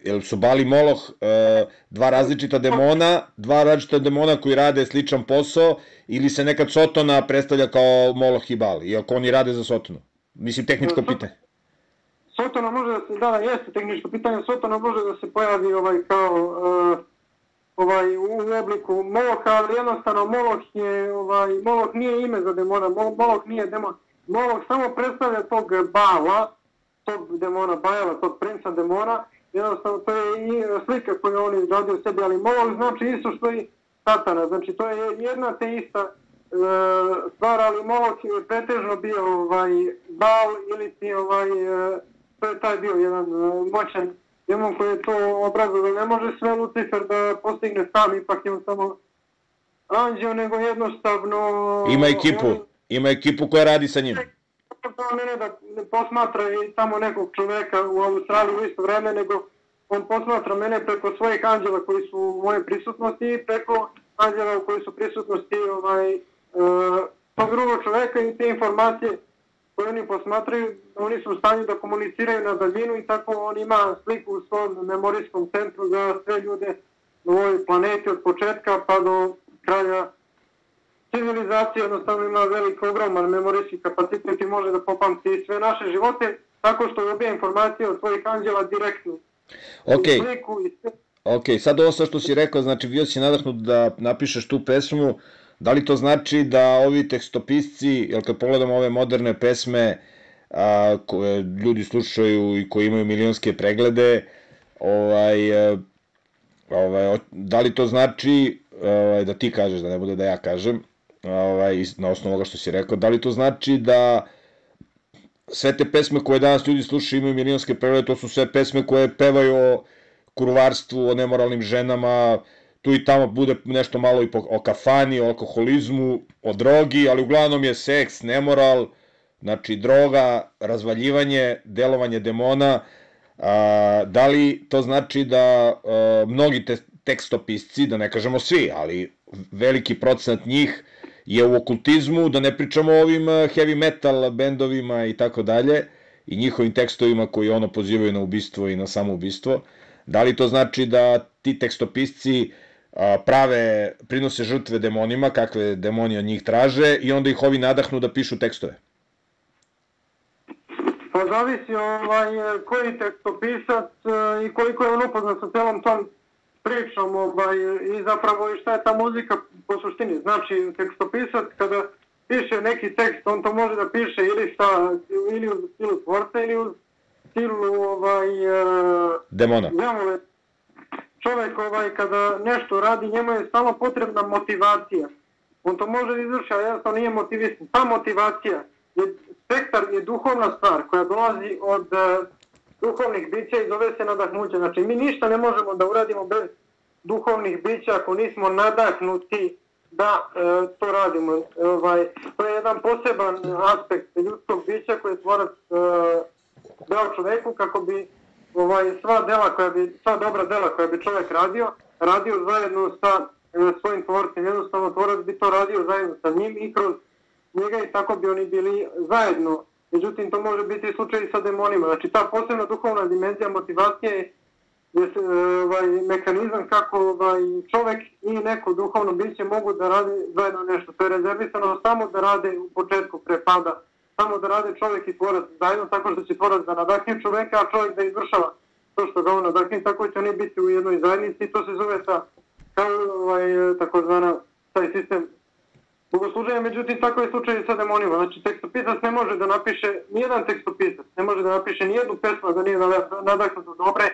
jel su Bal i Moloh dva različita demona koji rade sličan posao, ili se nekad Sotona predstavlja kao Moloh i Bal, iako oni rade za Sotonu? Mislim, tehničko pitanje. Sotona može da se, jeste tehničko pitanje, Sotona može da se pojavi kao u obliku Moloha, ali jednostavno Moloh nije ime za demona, Moloh nije demon. Moloh samo predstavlja tog Bala, tog demona Bajala, tog princa demona, jednostavno to je i slika koju on izgradio sebi, ali Moloh znači isto što i satana. Znači to je jedna te ista stvar, ali Molok je pretežno bio Baal ili ti to je taj bio jedan moćan demon koji je to obrazovao. Ne može sve Lucifer da postigne sam, ipak je on samo anđeo, nego jednostavno... Ima ekipu koja radi sa njim. Ne da posmatra i samo nekog čoveka u Australiji u isto vreme, nego on posmatra mene preko svojih anđela koji su u moje prisutnosti i preko anđela koji su prisutnosti tog drugog čoveka i te informacije koje oni posmatraju, oni su u stanju da komuniciraju na daljinu i tako on ima sliku u svom memorijskom centru za sve ljude na ovoj planeti od početka pa do kraja civilizacije, jednostavno ima velik, ogroman memorijski kapacitet i može da popamti sve naše živote tako što dobija informacije od svojih anđela direktno. Ok, sad ovo što si rekao, znači bio si nadahnut da napišeš tu pesmu, da li to znači da ovi tekstopisci, jer kad pogledamo ove moderne pesme koje ljudi slušaju i koji imaju milionske preglede, da li to znači, da ti kažeš, da ne bude da ja kažem, na osnovu ovoga što si rekao, da li to znači da sve te pesme koje danas ljudi slušaju imaju milionske preglede, to su sve pesme koje pevaju o kurvarstvu, o nemoralnim ženama, tu i tamo bude nešto malo i o kafani, o alkoholizmu, o drogi, ali uglavnom je seks, nemoral, znači droga, razvaljivanje, delovanje demona. Da li to znači da mnogi tekstopisci, da ne kažemo svi, ali veliki procenat njih je u okultizmu, da ne pričamo o ovim heavy metal bendovima i tako dalje, i njihovim tekstovima koji ono pozivaju na ubistvo i na samoubistvo. Da li to znači da ti tekstopisci prinose žrtve demonima, kakve demoni od njih traže, i onda ih ovi nadahnu da pišu tekstove? Pa zavisi koji tekstopisac i koliko je on upoznat sa celom tom pričom i zapravo i šta je ta muzika po suštini. Znači, tekstopisac kada piše neki tekst, on to može da piše ili u stilu tvorca ili u stilu demona. Čovjek kada nešto radi, njemu je stalno potrebna motivacija. On to može izvršiti, a jednostavno nije motivisan. Ta motivacija, spektar je duhovna stvar koja dolazi od duhovnih bića i zove se nadahnuće. Znači, mi ništa ne možemo da uradimo bez duhovnih bića ako nismo nadahnuti da to radimo. To je jedan poseban aspekt ljudskog bića koji je tvorac dao čoveku kako bi sva dobra dela koja bi čovjek radio zajedno sa svojim tvorcem. Jednostavno tvorac bi to radio zajedno sa njim i kroz njega i tako bi oni bili zajedno. Međutim, to može biti slučaj i sa demonima. Znači, ta posebna duhovna dimenzija motivacije je mehanizam kako čovjek i neko duhovno biće mogu da rade zajedno nešto. To je rezervisano samo da rade u početku pre pada. Samo da rade čovjek i tvorac zajedno, tako što će tvorac da nadahne čoveka, a čovjek da izvršava to što ga on nadahne, tako će oni biti u jednoj zajednici i to se zove takozvana taj sistem bogosluženja. Međutim, tako je slučaj i sa demonima. Znači, tekstopisac ne može da napiše, nijedan tekstopisac ne može da napiše nijednu pesmu da nije nadahnuto dobre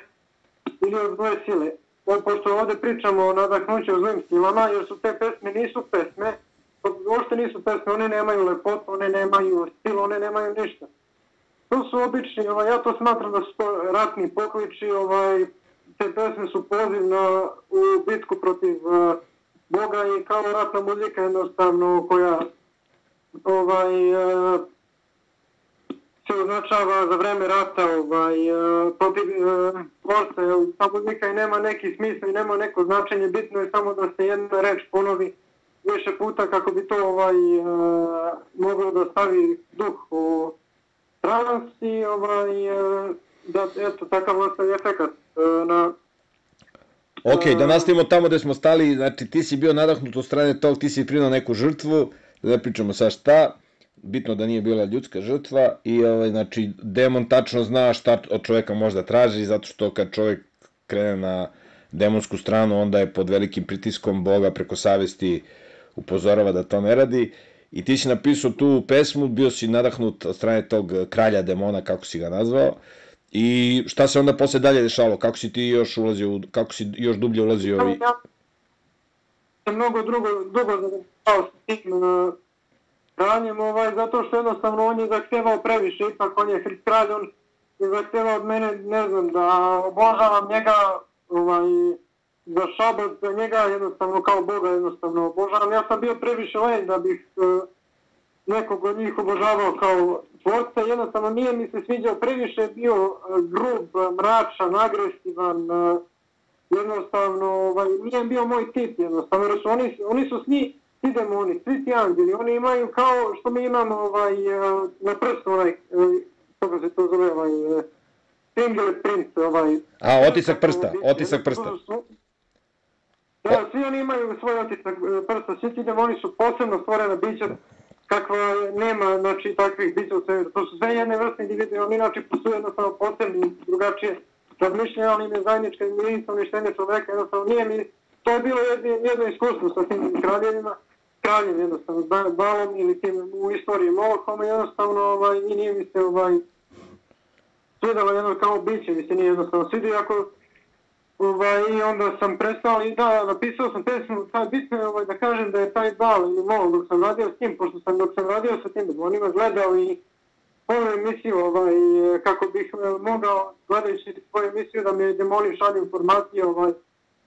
ili od zle sile. Pošto ovdje pričamo o nadahnuću o zlim silama, jer su te pesme nisu pesme, uopšte nisu pesme, one nemaju lepotu, one nemaju stil, one nemaju ništa. To su obični, ja to smatram da su to ratni pokliči, te pesme su poziv u bitku protiv Boga i kao ratna muzika jednostavno koja se označava za vreme rata protiv tvorca. Ta muzika i nema neki smisla i nema neko značenje, bitno je samo da se jedna reč ponovi više puta kako bi to moglo da stavi duh u trans i da eto takav ostavi efekat na... Ok, da nastavimo tamo gde smo stali, znači ti si bio nadahnut od strane tog, ti si prinao neku žrtvu, da ne pričamo sad šta, bitno da nije bila ljudska žrtva i znači demon tačno zna šta od čoveka možda traži, zato što kad čovek krene na demonsku stranu, onda je pod velikim pritiskom Boga preko savesti upozorava da to ne radi. I ti si napisao tu pesmu, bio si nadahnut od strane tog kralja demona, kako si ga nazvao. I šta se onda posle dalje dešavalo? Kako si ti još ulazio, kako si još dublje ulazio? mnogo dugo zadržao s tim ranjem, zato što jednostavno on je zahtevao previše, ipak on je kralj, on je zahtevao od mene, ne znam, da obožavam njega, za šabac, za njega jednostavno kao Boga jednostavno obožavam. Ja sam bio previše lenj da bih nekog od njih obožavao kao tvorca, jednostavno nije mi se sviđao, previše bio grub, mračan, agresivan, jednostavno nije bio moj tip jednostavno, jer oni su svi demoni, svi ti anđeli, oni imaju kao što mi imamo na prstu kako se to zove, fingerprint, otisak prsta. Da, svi oni imaju svoj otisak prsta, svi ti demoni su posebno stvorena bića, kakva nema, znači, takvih bića u svetu. To su sve jedne vrste individue, oni inače postoje jednostavno posebni, drugačije razmišljanje, ali im je zajednička jedinica uništenja čoveka, jednostavno nije mi, to je bilo jedno iskustvo sa tim kraljem jednostavno, Balom ili tim u istoriji Molokom, jednostavno i nije mi se svidjelo jedno kao biće, mi se nije jednostavno svidio, i onda sam prestao i da, napisao sam pesmu, bitno je da kažem da je taj Bal ili Molok dok sam radio s tim, pošto sam dok sam radio sa tim demonima gledao i svoju emisiju, kako bih mogao, gledajući svoju emisiju, da mi demoni šalju informacije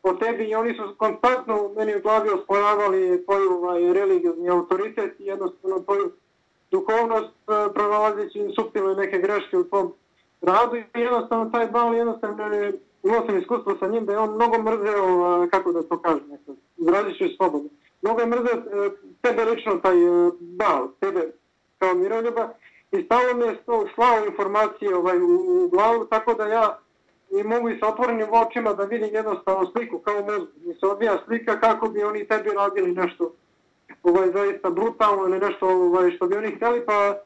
o tebi i oni su konstantno meni u glavi osporavali tvoju religiozni autoritet i jednostavno tvoju duhovnost, pronalazeći suptilne neke greške u tvom radu i jednostavno taj Bal jednostavno imao sam iskustvo sa njim da je on mnogo mrzeo, kako da to kažem, izrazit ću slobodno, mnogo je mrzeo tebe lično, taj Bal, tebe kao Miroljuba i stalno mi je slao informacije u glavu, tako da ja i mogu i sa otvorenim očima da vidim jednostavno sliku kao mozgu. Mi se odvija slika kako bi oni tebi radili nešto zaista brutalno ili nešto što bi oni htjeli, pa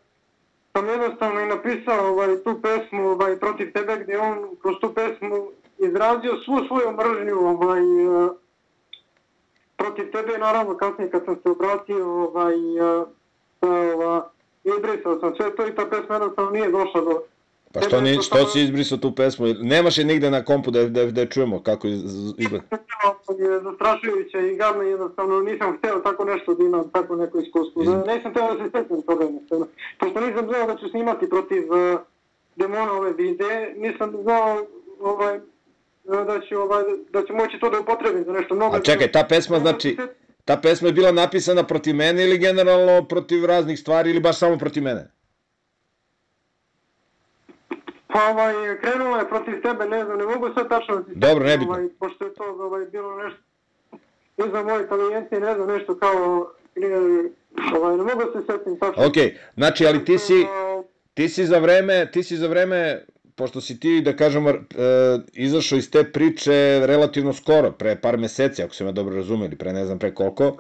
sam jednostavno i napisao tu pesmu protiv tebe gdje on kroz tu pesmu izrazio svu svoju mržnju protiv tebe, naravno kasnije kad sam se obratio izbrisao sam sve to i ta pesma jednostavno nije došla do... Pa što si izbrisao tu pesmu? Nemaš je nigde na kompu da je čujemo kako izgleda? Zastrašujuće i gadno, jednostavno nisam hteo tako nešto da imam, tako neko iskustvo. Nisam hteo da se svetim toga jednostavno. Pošto nisam znao da ću snimati protiv demona ove videe, nisam znao da ću moći to da upotrebim za nešto mnogo. A čekaj, ta pesma je bila napisana protiv mene ili generalno protiv raznih stvari ili baš samo protiv mene? Pa krenula je protiv tebe, ne znam, ne mogu sve tačno da ti... Dobro, nebitno. Pošto je to bilo nešto, ne znam, moje inteligencije, ne znam, nešto kao... Ne mogu se svetim tačno. Okej, znači, ali ti si za vreme, pošto si ti, da kažemo, izašao iz te priče relativno skoro, pre par meseci, ako se me dobro razumeli, pre ne znam pre koliko,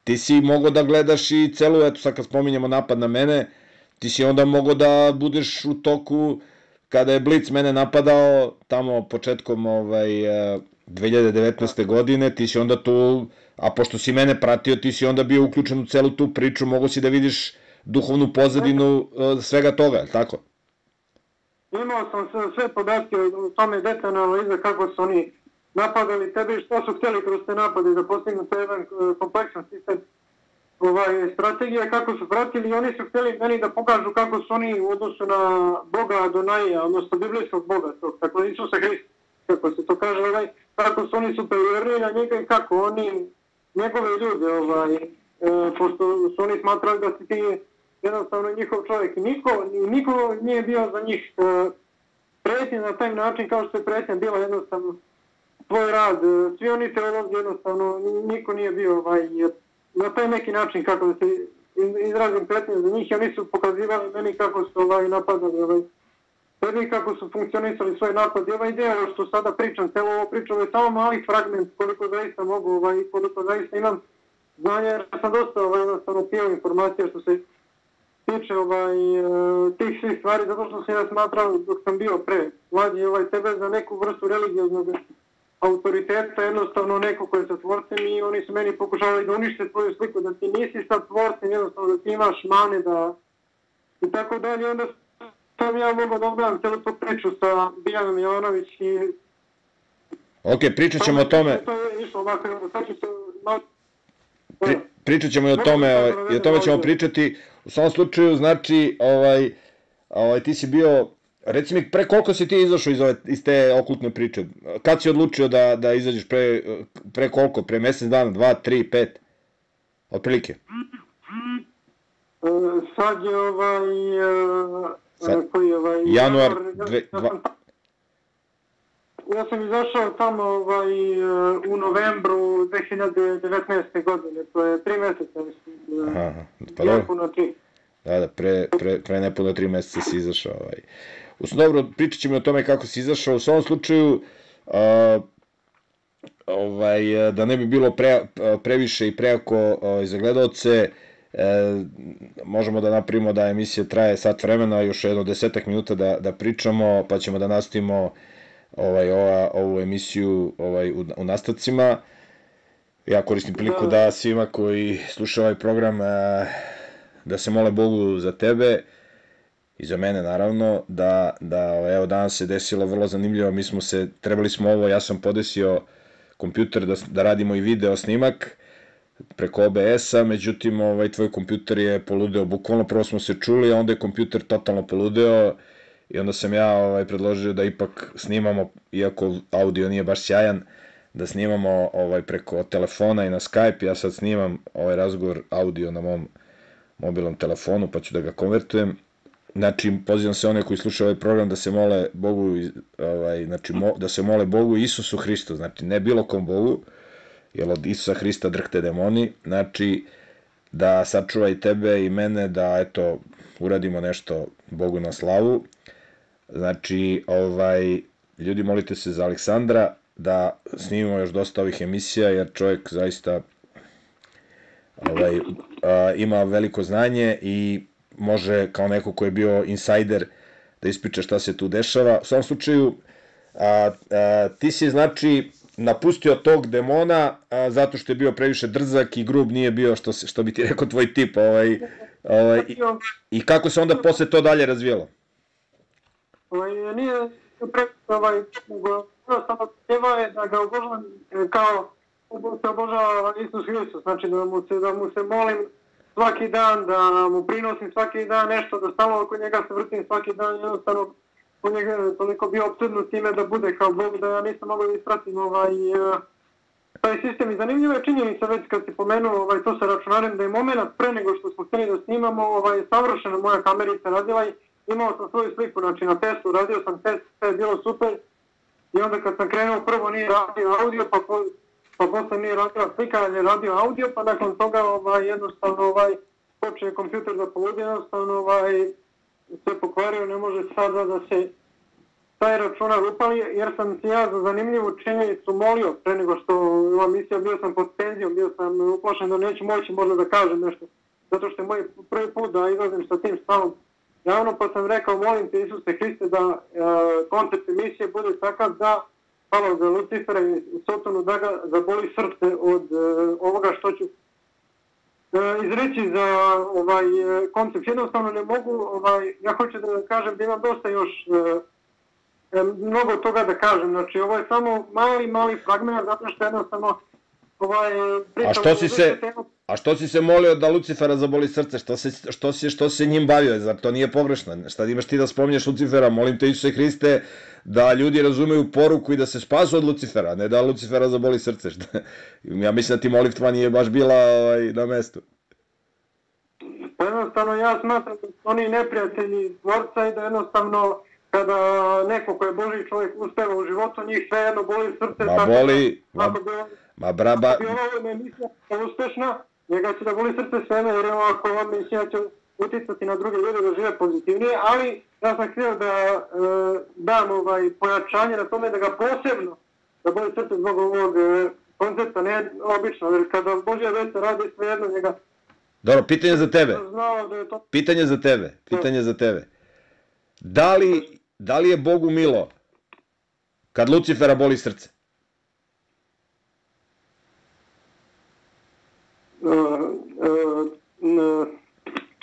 ti si mogao da gledaš i celu, eto sad kad spominjemo napad na mene, ti si onda mogao da budeš u toku, kada je Blic mene napadao, tamo početkom 2019. godine, ti si onda tu, a pošto si mene pratio, ti si onda bio uključen u celu tu priču, mogao si da vidiš duhovnu pozadinu svega toga, je li tako? Imao sam sve podatke o tome detaljna analiza kako su oni napadali tebe i što su htjeli kroz te napade da postignu to jedan kompleksan sistem strategija, kako su pratili i oni su htjeli meni da pokažu kako su oni u odnosu na Boga Adonaja, odnosno biblijskog Boga, tako Isusa Hrista, kako se to kaže, kako su oni superiorni na njega i kako oni, njegove ljude, pošto su oni smatrali da si ti jednostavno njihov čovjek i niko nije bio za njih pretnja na taj način kao što je pretnja bila jednostavno tvoj rad, svi oni teolozi jednostavno, niko nije bio na taj neki način kako da se izrazim pretnje za njih i oni su pokazivali meni kako su napadali tebi, kako su funkcionisali svoj napad i ideja što sada pričam, celo ovo pričam je samo mali fragment koliko zaista mogu i koliko zaista imam znanja jer sam dosta jednostavno pio informacija što se tiče tih svih stvari zato što sam ja smatrao dok sam bio pre mlađi tebe za neku vrstu religioznog autoriteta, jednostavno neko ko je sa tvorcem i oni su meni pokušavali da unište tvoju sliku, da ti nisi sa tvorcem, jednostavno da ti imaš mane i tako dalje. Onda sam ja mogao da ogledam celu tu priču sa Biljanom Jovanović i... Ok, pričat ćemo o tome. To je išlo ovako, sad ću se Pričat ćemo i o tome, i o tome ćemo pričati. U svom slučaju, znači, ti si bio, reci mi, pre koliko si ti izašao iz te okultne priče? Kad si odlučio da izađeš pre koliko? Pre mesec dana, 2, 3, 5? Otprilike? Sad je januar... Ja sam izašao tamo u novembru 2019. godine, to je 3 meseca, mislim. Aha, pa dobro. Da, pre nepuno 3 meseca si izašao. Dobro, pričat ćemo o tome kako si izašao. U svom slučaju, da ne bi bilo previše i prejako za gledalce, možemo da napravimo da emisija traje sat vremena, još jedno 10 minuta da pričamo, pa ćemo da nastavimo ovu emisiju u nastavcima. Ja koristim priliku da svima koji slušaju ovaj program da se mole Bogu za tebe i za mene naravno, evo danas se desilo vrlo zanimljivo, trebali smo ovo, ja sam podesio kompjuter da radimo i video snimak preko OBS-a, međutim tvoj kompjuter je poludeo, bukvalno prvo smo se čuli, a onda je kompjuter totalno poludeo i onda sam ja predložio da ipak snimamo, iako audio nije baš sjajan, da snimamo preko telefona i na Skype. Ja sad snimam ovaj razgovor audio na mom mobilnom telefonu, pa ću da ga konvertujem. Znači, pozivam se one koji slušaju ovaj program da se mole Bogu, da se mole Bogu i Isusu Hristu, znači ne bilo kom Bogu, jer od Isusa Hrista drhte demoni, znači da sačuva i tebe i mene, da eto, uradimo nešto Bogu na slavu. Znači, ljudi, molite se za Aleksandra, da snimimo još dosta ovih emisija, jer čovjek zaista ima veliko znanje i može, kao neko ko je bio insajder, da ispriča šta se tu dešava. U svom slučaju, ti si, znači, napustio tog demona zato što je bio previše drzak i grub, nije bio, što bi ti rekao, tvoj tip. I kako se onda posle to dalje razvijelo? Nije samo teba je da ga obožavam kao se obožava Isus Hristos, znači da mu se molim svaki dan, da mu prinosim svaki dan nešto, da stalno oko njega se vrtim svaki dan, jednostavno u njega je toliko bio opsednut time da bude kao Bog, da ja nisam mogao da ispratim taj sistem. I zanimljiva je činjenica, već kad si pomenuo to sa računarem, da je moment pre nego što smo htjeli da snimamo, savršeno moja kamerica radila i imao sam svoju sliku, znači na testu, radio sam test, sve je bilo super. I onda kad sam krenuo, prvo nije radio audio, pa posle nije radio slika, ali je radio audio, pa nakon toga jednostavno počeo kompjuter da poludi, jednostavno se pokvario, ne može sada da se taj računar upali, jer sam si ja za zanimljivu činjenicu molio, pre nego što ova misija, bio sam pod penzijom, bio sam uplašen da neću moći možda da kažem nešto, zato što je moj prvi put da izlazim sa tim stavom javno, pa sam rekao, molim te Isuse Hriste da koncept emisije bude takav da hvala za Lucifera i Sotonu da ga zaboli srce od ovoga što ću izreći za koncept. Jednostavno ne mogu, ja hoću da kažem da imam dosta još mnogo toga da kažem, znači ovo je samo mali fragment, zato što jednostavno A što si se molio da Lucifera zaboli srce? Što se njim bavio? Zar to nije pogrešno? Šta imaš ti da spominješ Lucifera? Molim te Isuse Hriste da ljudi razumeju poruku i da se spasu od Lucifera, ne da Lucifera zaboli srce. Ja mislim da ti molitva nije baš bila na mestu. Jednostavno ja smatram da su oni neprijatelji tvorca i da jednostavno kada neko ko je Božji čovjek uspeva u životu, njih sve jedno boli srce. Ma boli, ma braba. Ako bi ova emisija uspešna, njega će da boli srce sve, jer ako ova emisija će uticati na druge ljude da žive pozitivnije, ali ja sam htio da dam pojačanje na tome da ga posebno da boli srce zbog ovog koncepta, ne obično, jer kada Božja vesta radi sve jedno njega. Dobro, pitanje za tebe. Da li je Bogu milo kad Lucifera boli srce?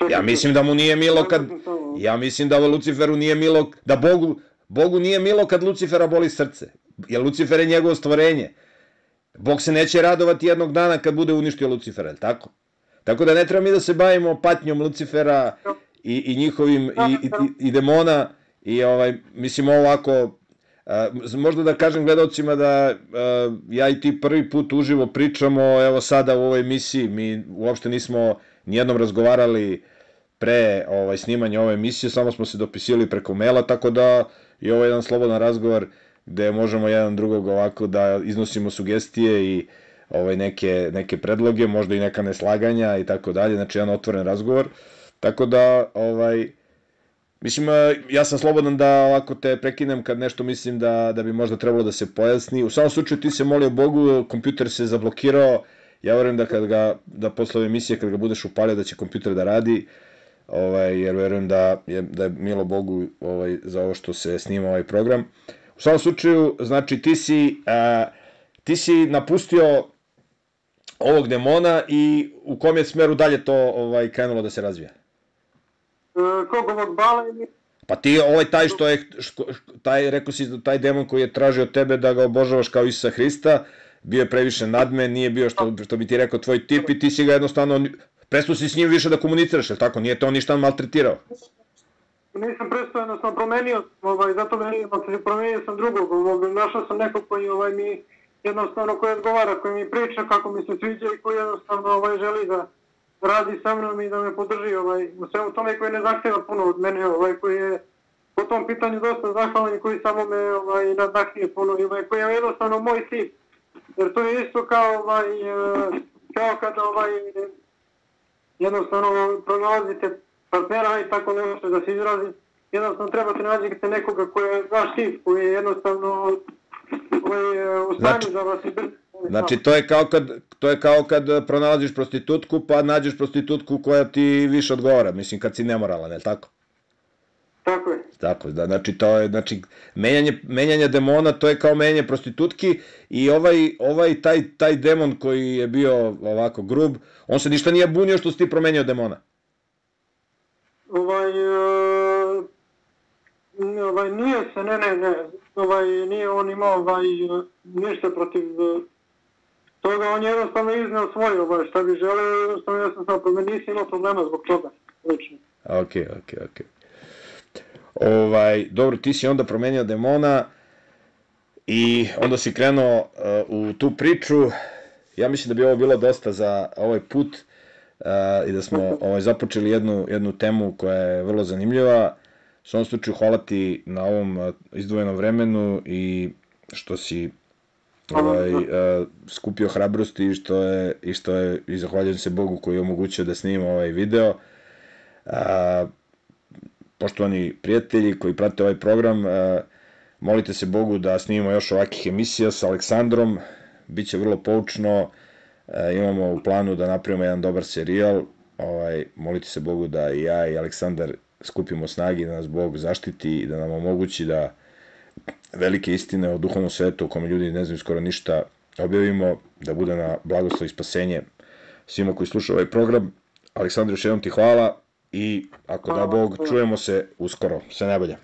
Ja mislim da mu nije milo kad... Ja mislim da Luciferu nije milo... Da Bogu nije milo kad Lucifera boli srce. Jer Lucifer je njegovo stvorenje. Bog se neće radovati jednog dana kad bude uništio Lucifera, tako? Tako da ne treba mi da se bavimo patnjom Lucifera i njihovim i demona i mislim ovako, možda da kažem gledalcima da ja i ti prvi put uživo pričamo, evo sada u ovoj emisiji, mi uopšte nismo nijednom razgovarali pre snimanja ove emisije, samo smo se dopisili preko maila, tako da je ovo jedan slobodan razgovor gde možemo jedan drugog ovako da iznosimo sugestije i neke predloge, možda i neka neslaganja i tako dalje, znači jedan otvoren razgovor, tako da mislim, ja sam slobodan da ovako te prekinem kad nešto mislim da bi možda trebalo da se pojasni. U samom slučaju ti se molio Bogu, kompjuter se zablokirao, ja verujem da posle ove emisije kad ga budeš upalio da će kompjuter da radi, jer verujem da je milo Bogu za ovo što se snima ovaj program. U samom slučaju, znači ti si napustio ovog demona i u kom je smeru dalje to krenulo da se razvija? Kog ovog bala ili? Pa ti taj što je, rekao si taj demon koji je tražio tebe da ga obožavaš kao Isusa Hrista, bio je previše nadmen, nije bio što bi ti rekao tvoj tip i ti si ga jednostavno, prestao si s njim više da komuniciraš, ili tako? Nije te on ništa maltretirao? Nisam prestao, jednostavno promenio, zato promenio sam drugog, našao sam nekog koji mi jednostavno koji odgovara, koji mi priča kako mi se sviđa i koji jednostavno želi da radi sa mnom i da me podrži u svemu tome, koji ne zahtjeva puno od mene, koji je po tom pitanju dosta zahvalan i koji samo me nadahnije puno i koji je jednostavno moj tip. Jer to je isto kao kada jednostavno pronalazite partnera i tako nešto da se izrazi, jednostavno trebate nađete nekoga koji je vaš tip, koji je jednostavno u stanju da vas i brzo. Znači, to je kao kad pronalaziš prostitutku, pa nađeš prostitutku koja ti više odgovara, mislim, kad si nemoralan, je li tako? Tako je. Tako, da, znači, to je, menjanje demona, to je kao menjanje prostitutki i taj demon koji je bio ovako grub, on se ništa nije bunio što si ti promenio demona? Nije se, ne, nije on imao ništa protiv toga, on je jednostavno izneo svoje, šta bi želeo, jednostavno ja sam samo promenio, nisam imao problema zbog toga, lično. Ok. Dobro, ti si onda promenio demona i onda si krenuo u tu priču, ja mislim da bi ovo bilo dosta za ovaj put i da smo započeli jednu temu koja je vrlo zanimljiva. U svom slučaju hvala ti na ovom izdvojenom vremenu i što si skupio hrabrosti i zahvaljujem se Bogu koji je omogućio da snimam ovaj video. Poštovani prijatelji koji prate ovaj program, molite se Bogu da snimimo još ovakih emisija sa Aleksandrom, biće vrlo poučno, imamo u planu da napravimo jedan dobar serijal, molite se Bogu da i ja i Aleksandar skupimo snagi, da nas Bog zaštiti i da nam omogući da velike istine o duhovnom svetu, o kome ljudi ne znaju skoro ništa, objavimo, da bude na blagoslov i spasenje svima koji slušaju ovaj program. Aleksandar, još jednom ti hvala i ako da Bog, čujemo se uskoro. Sve najbolje.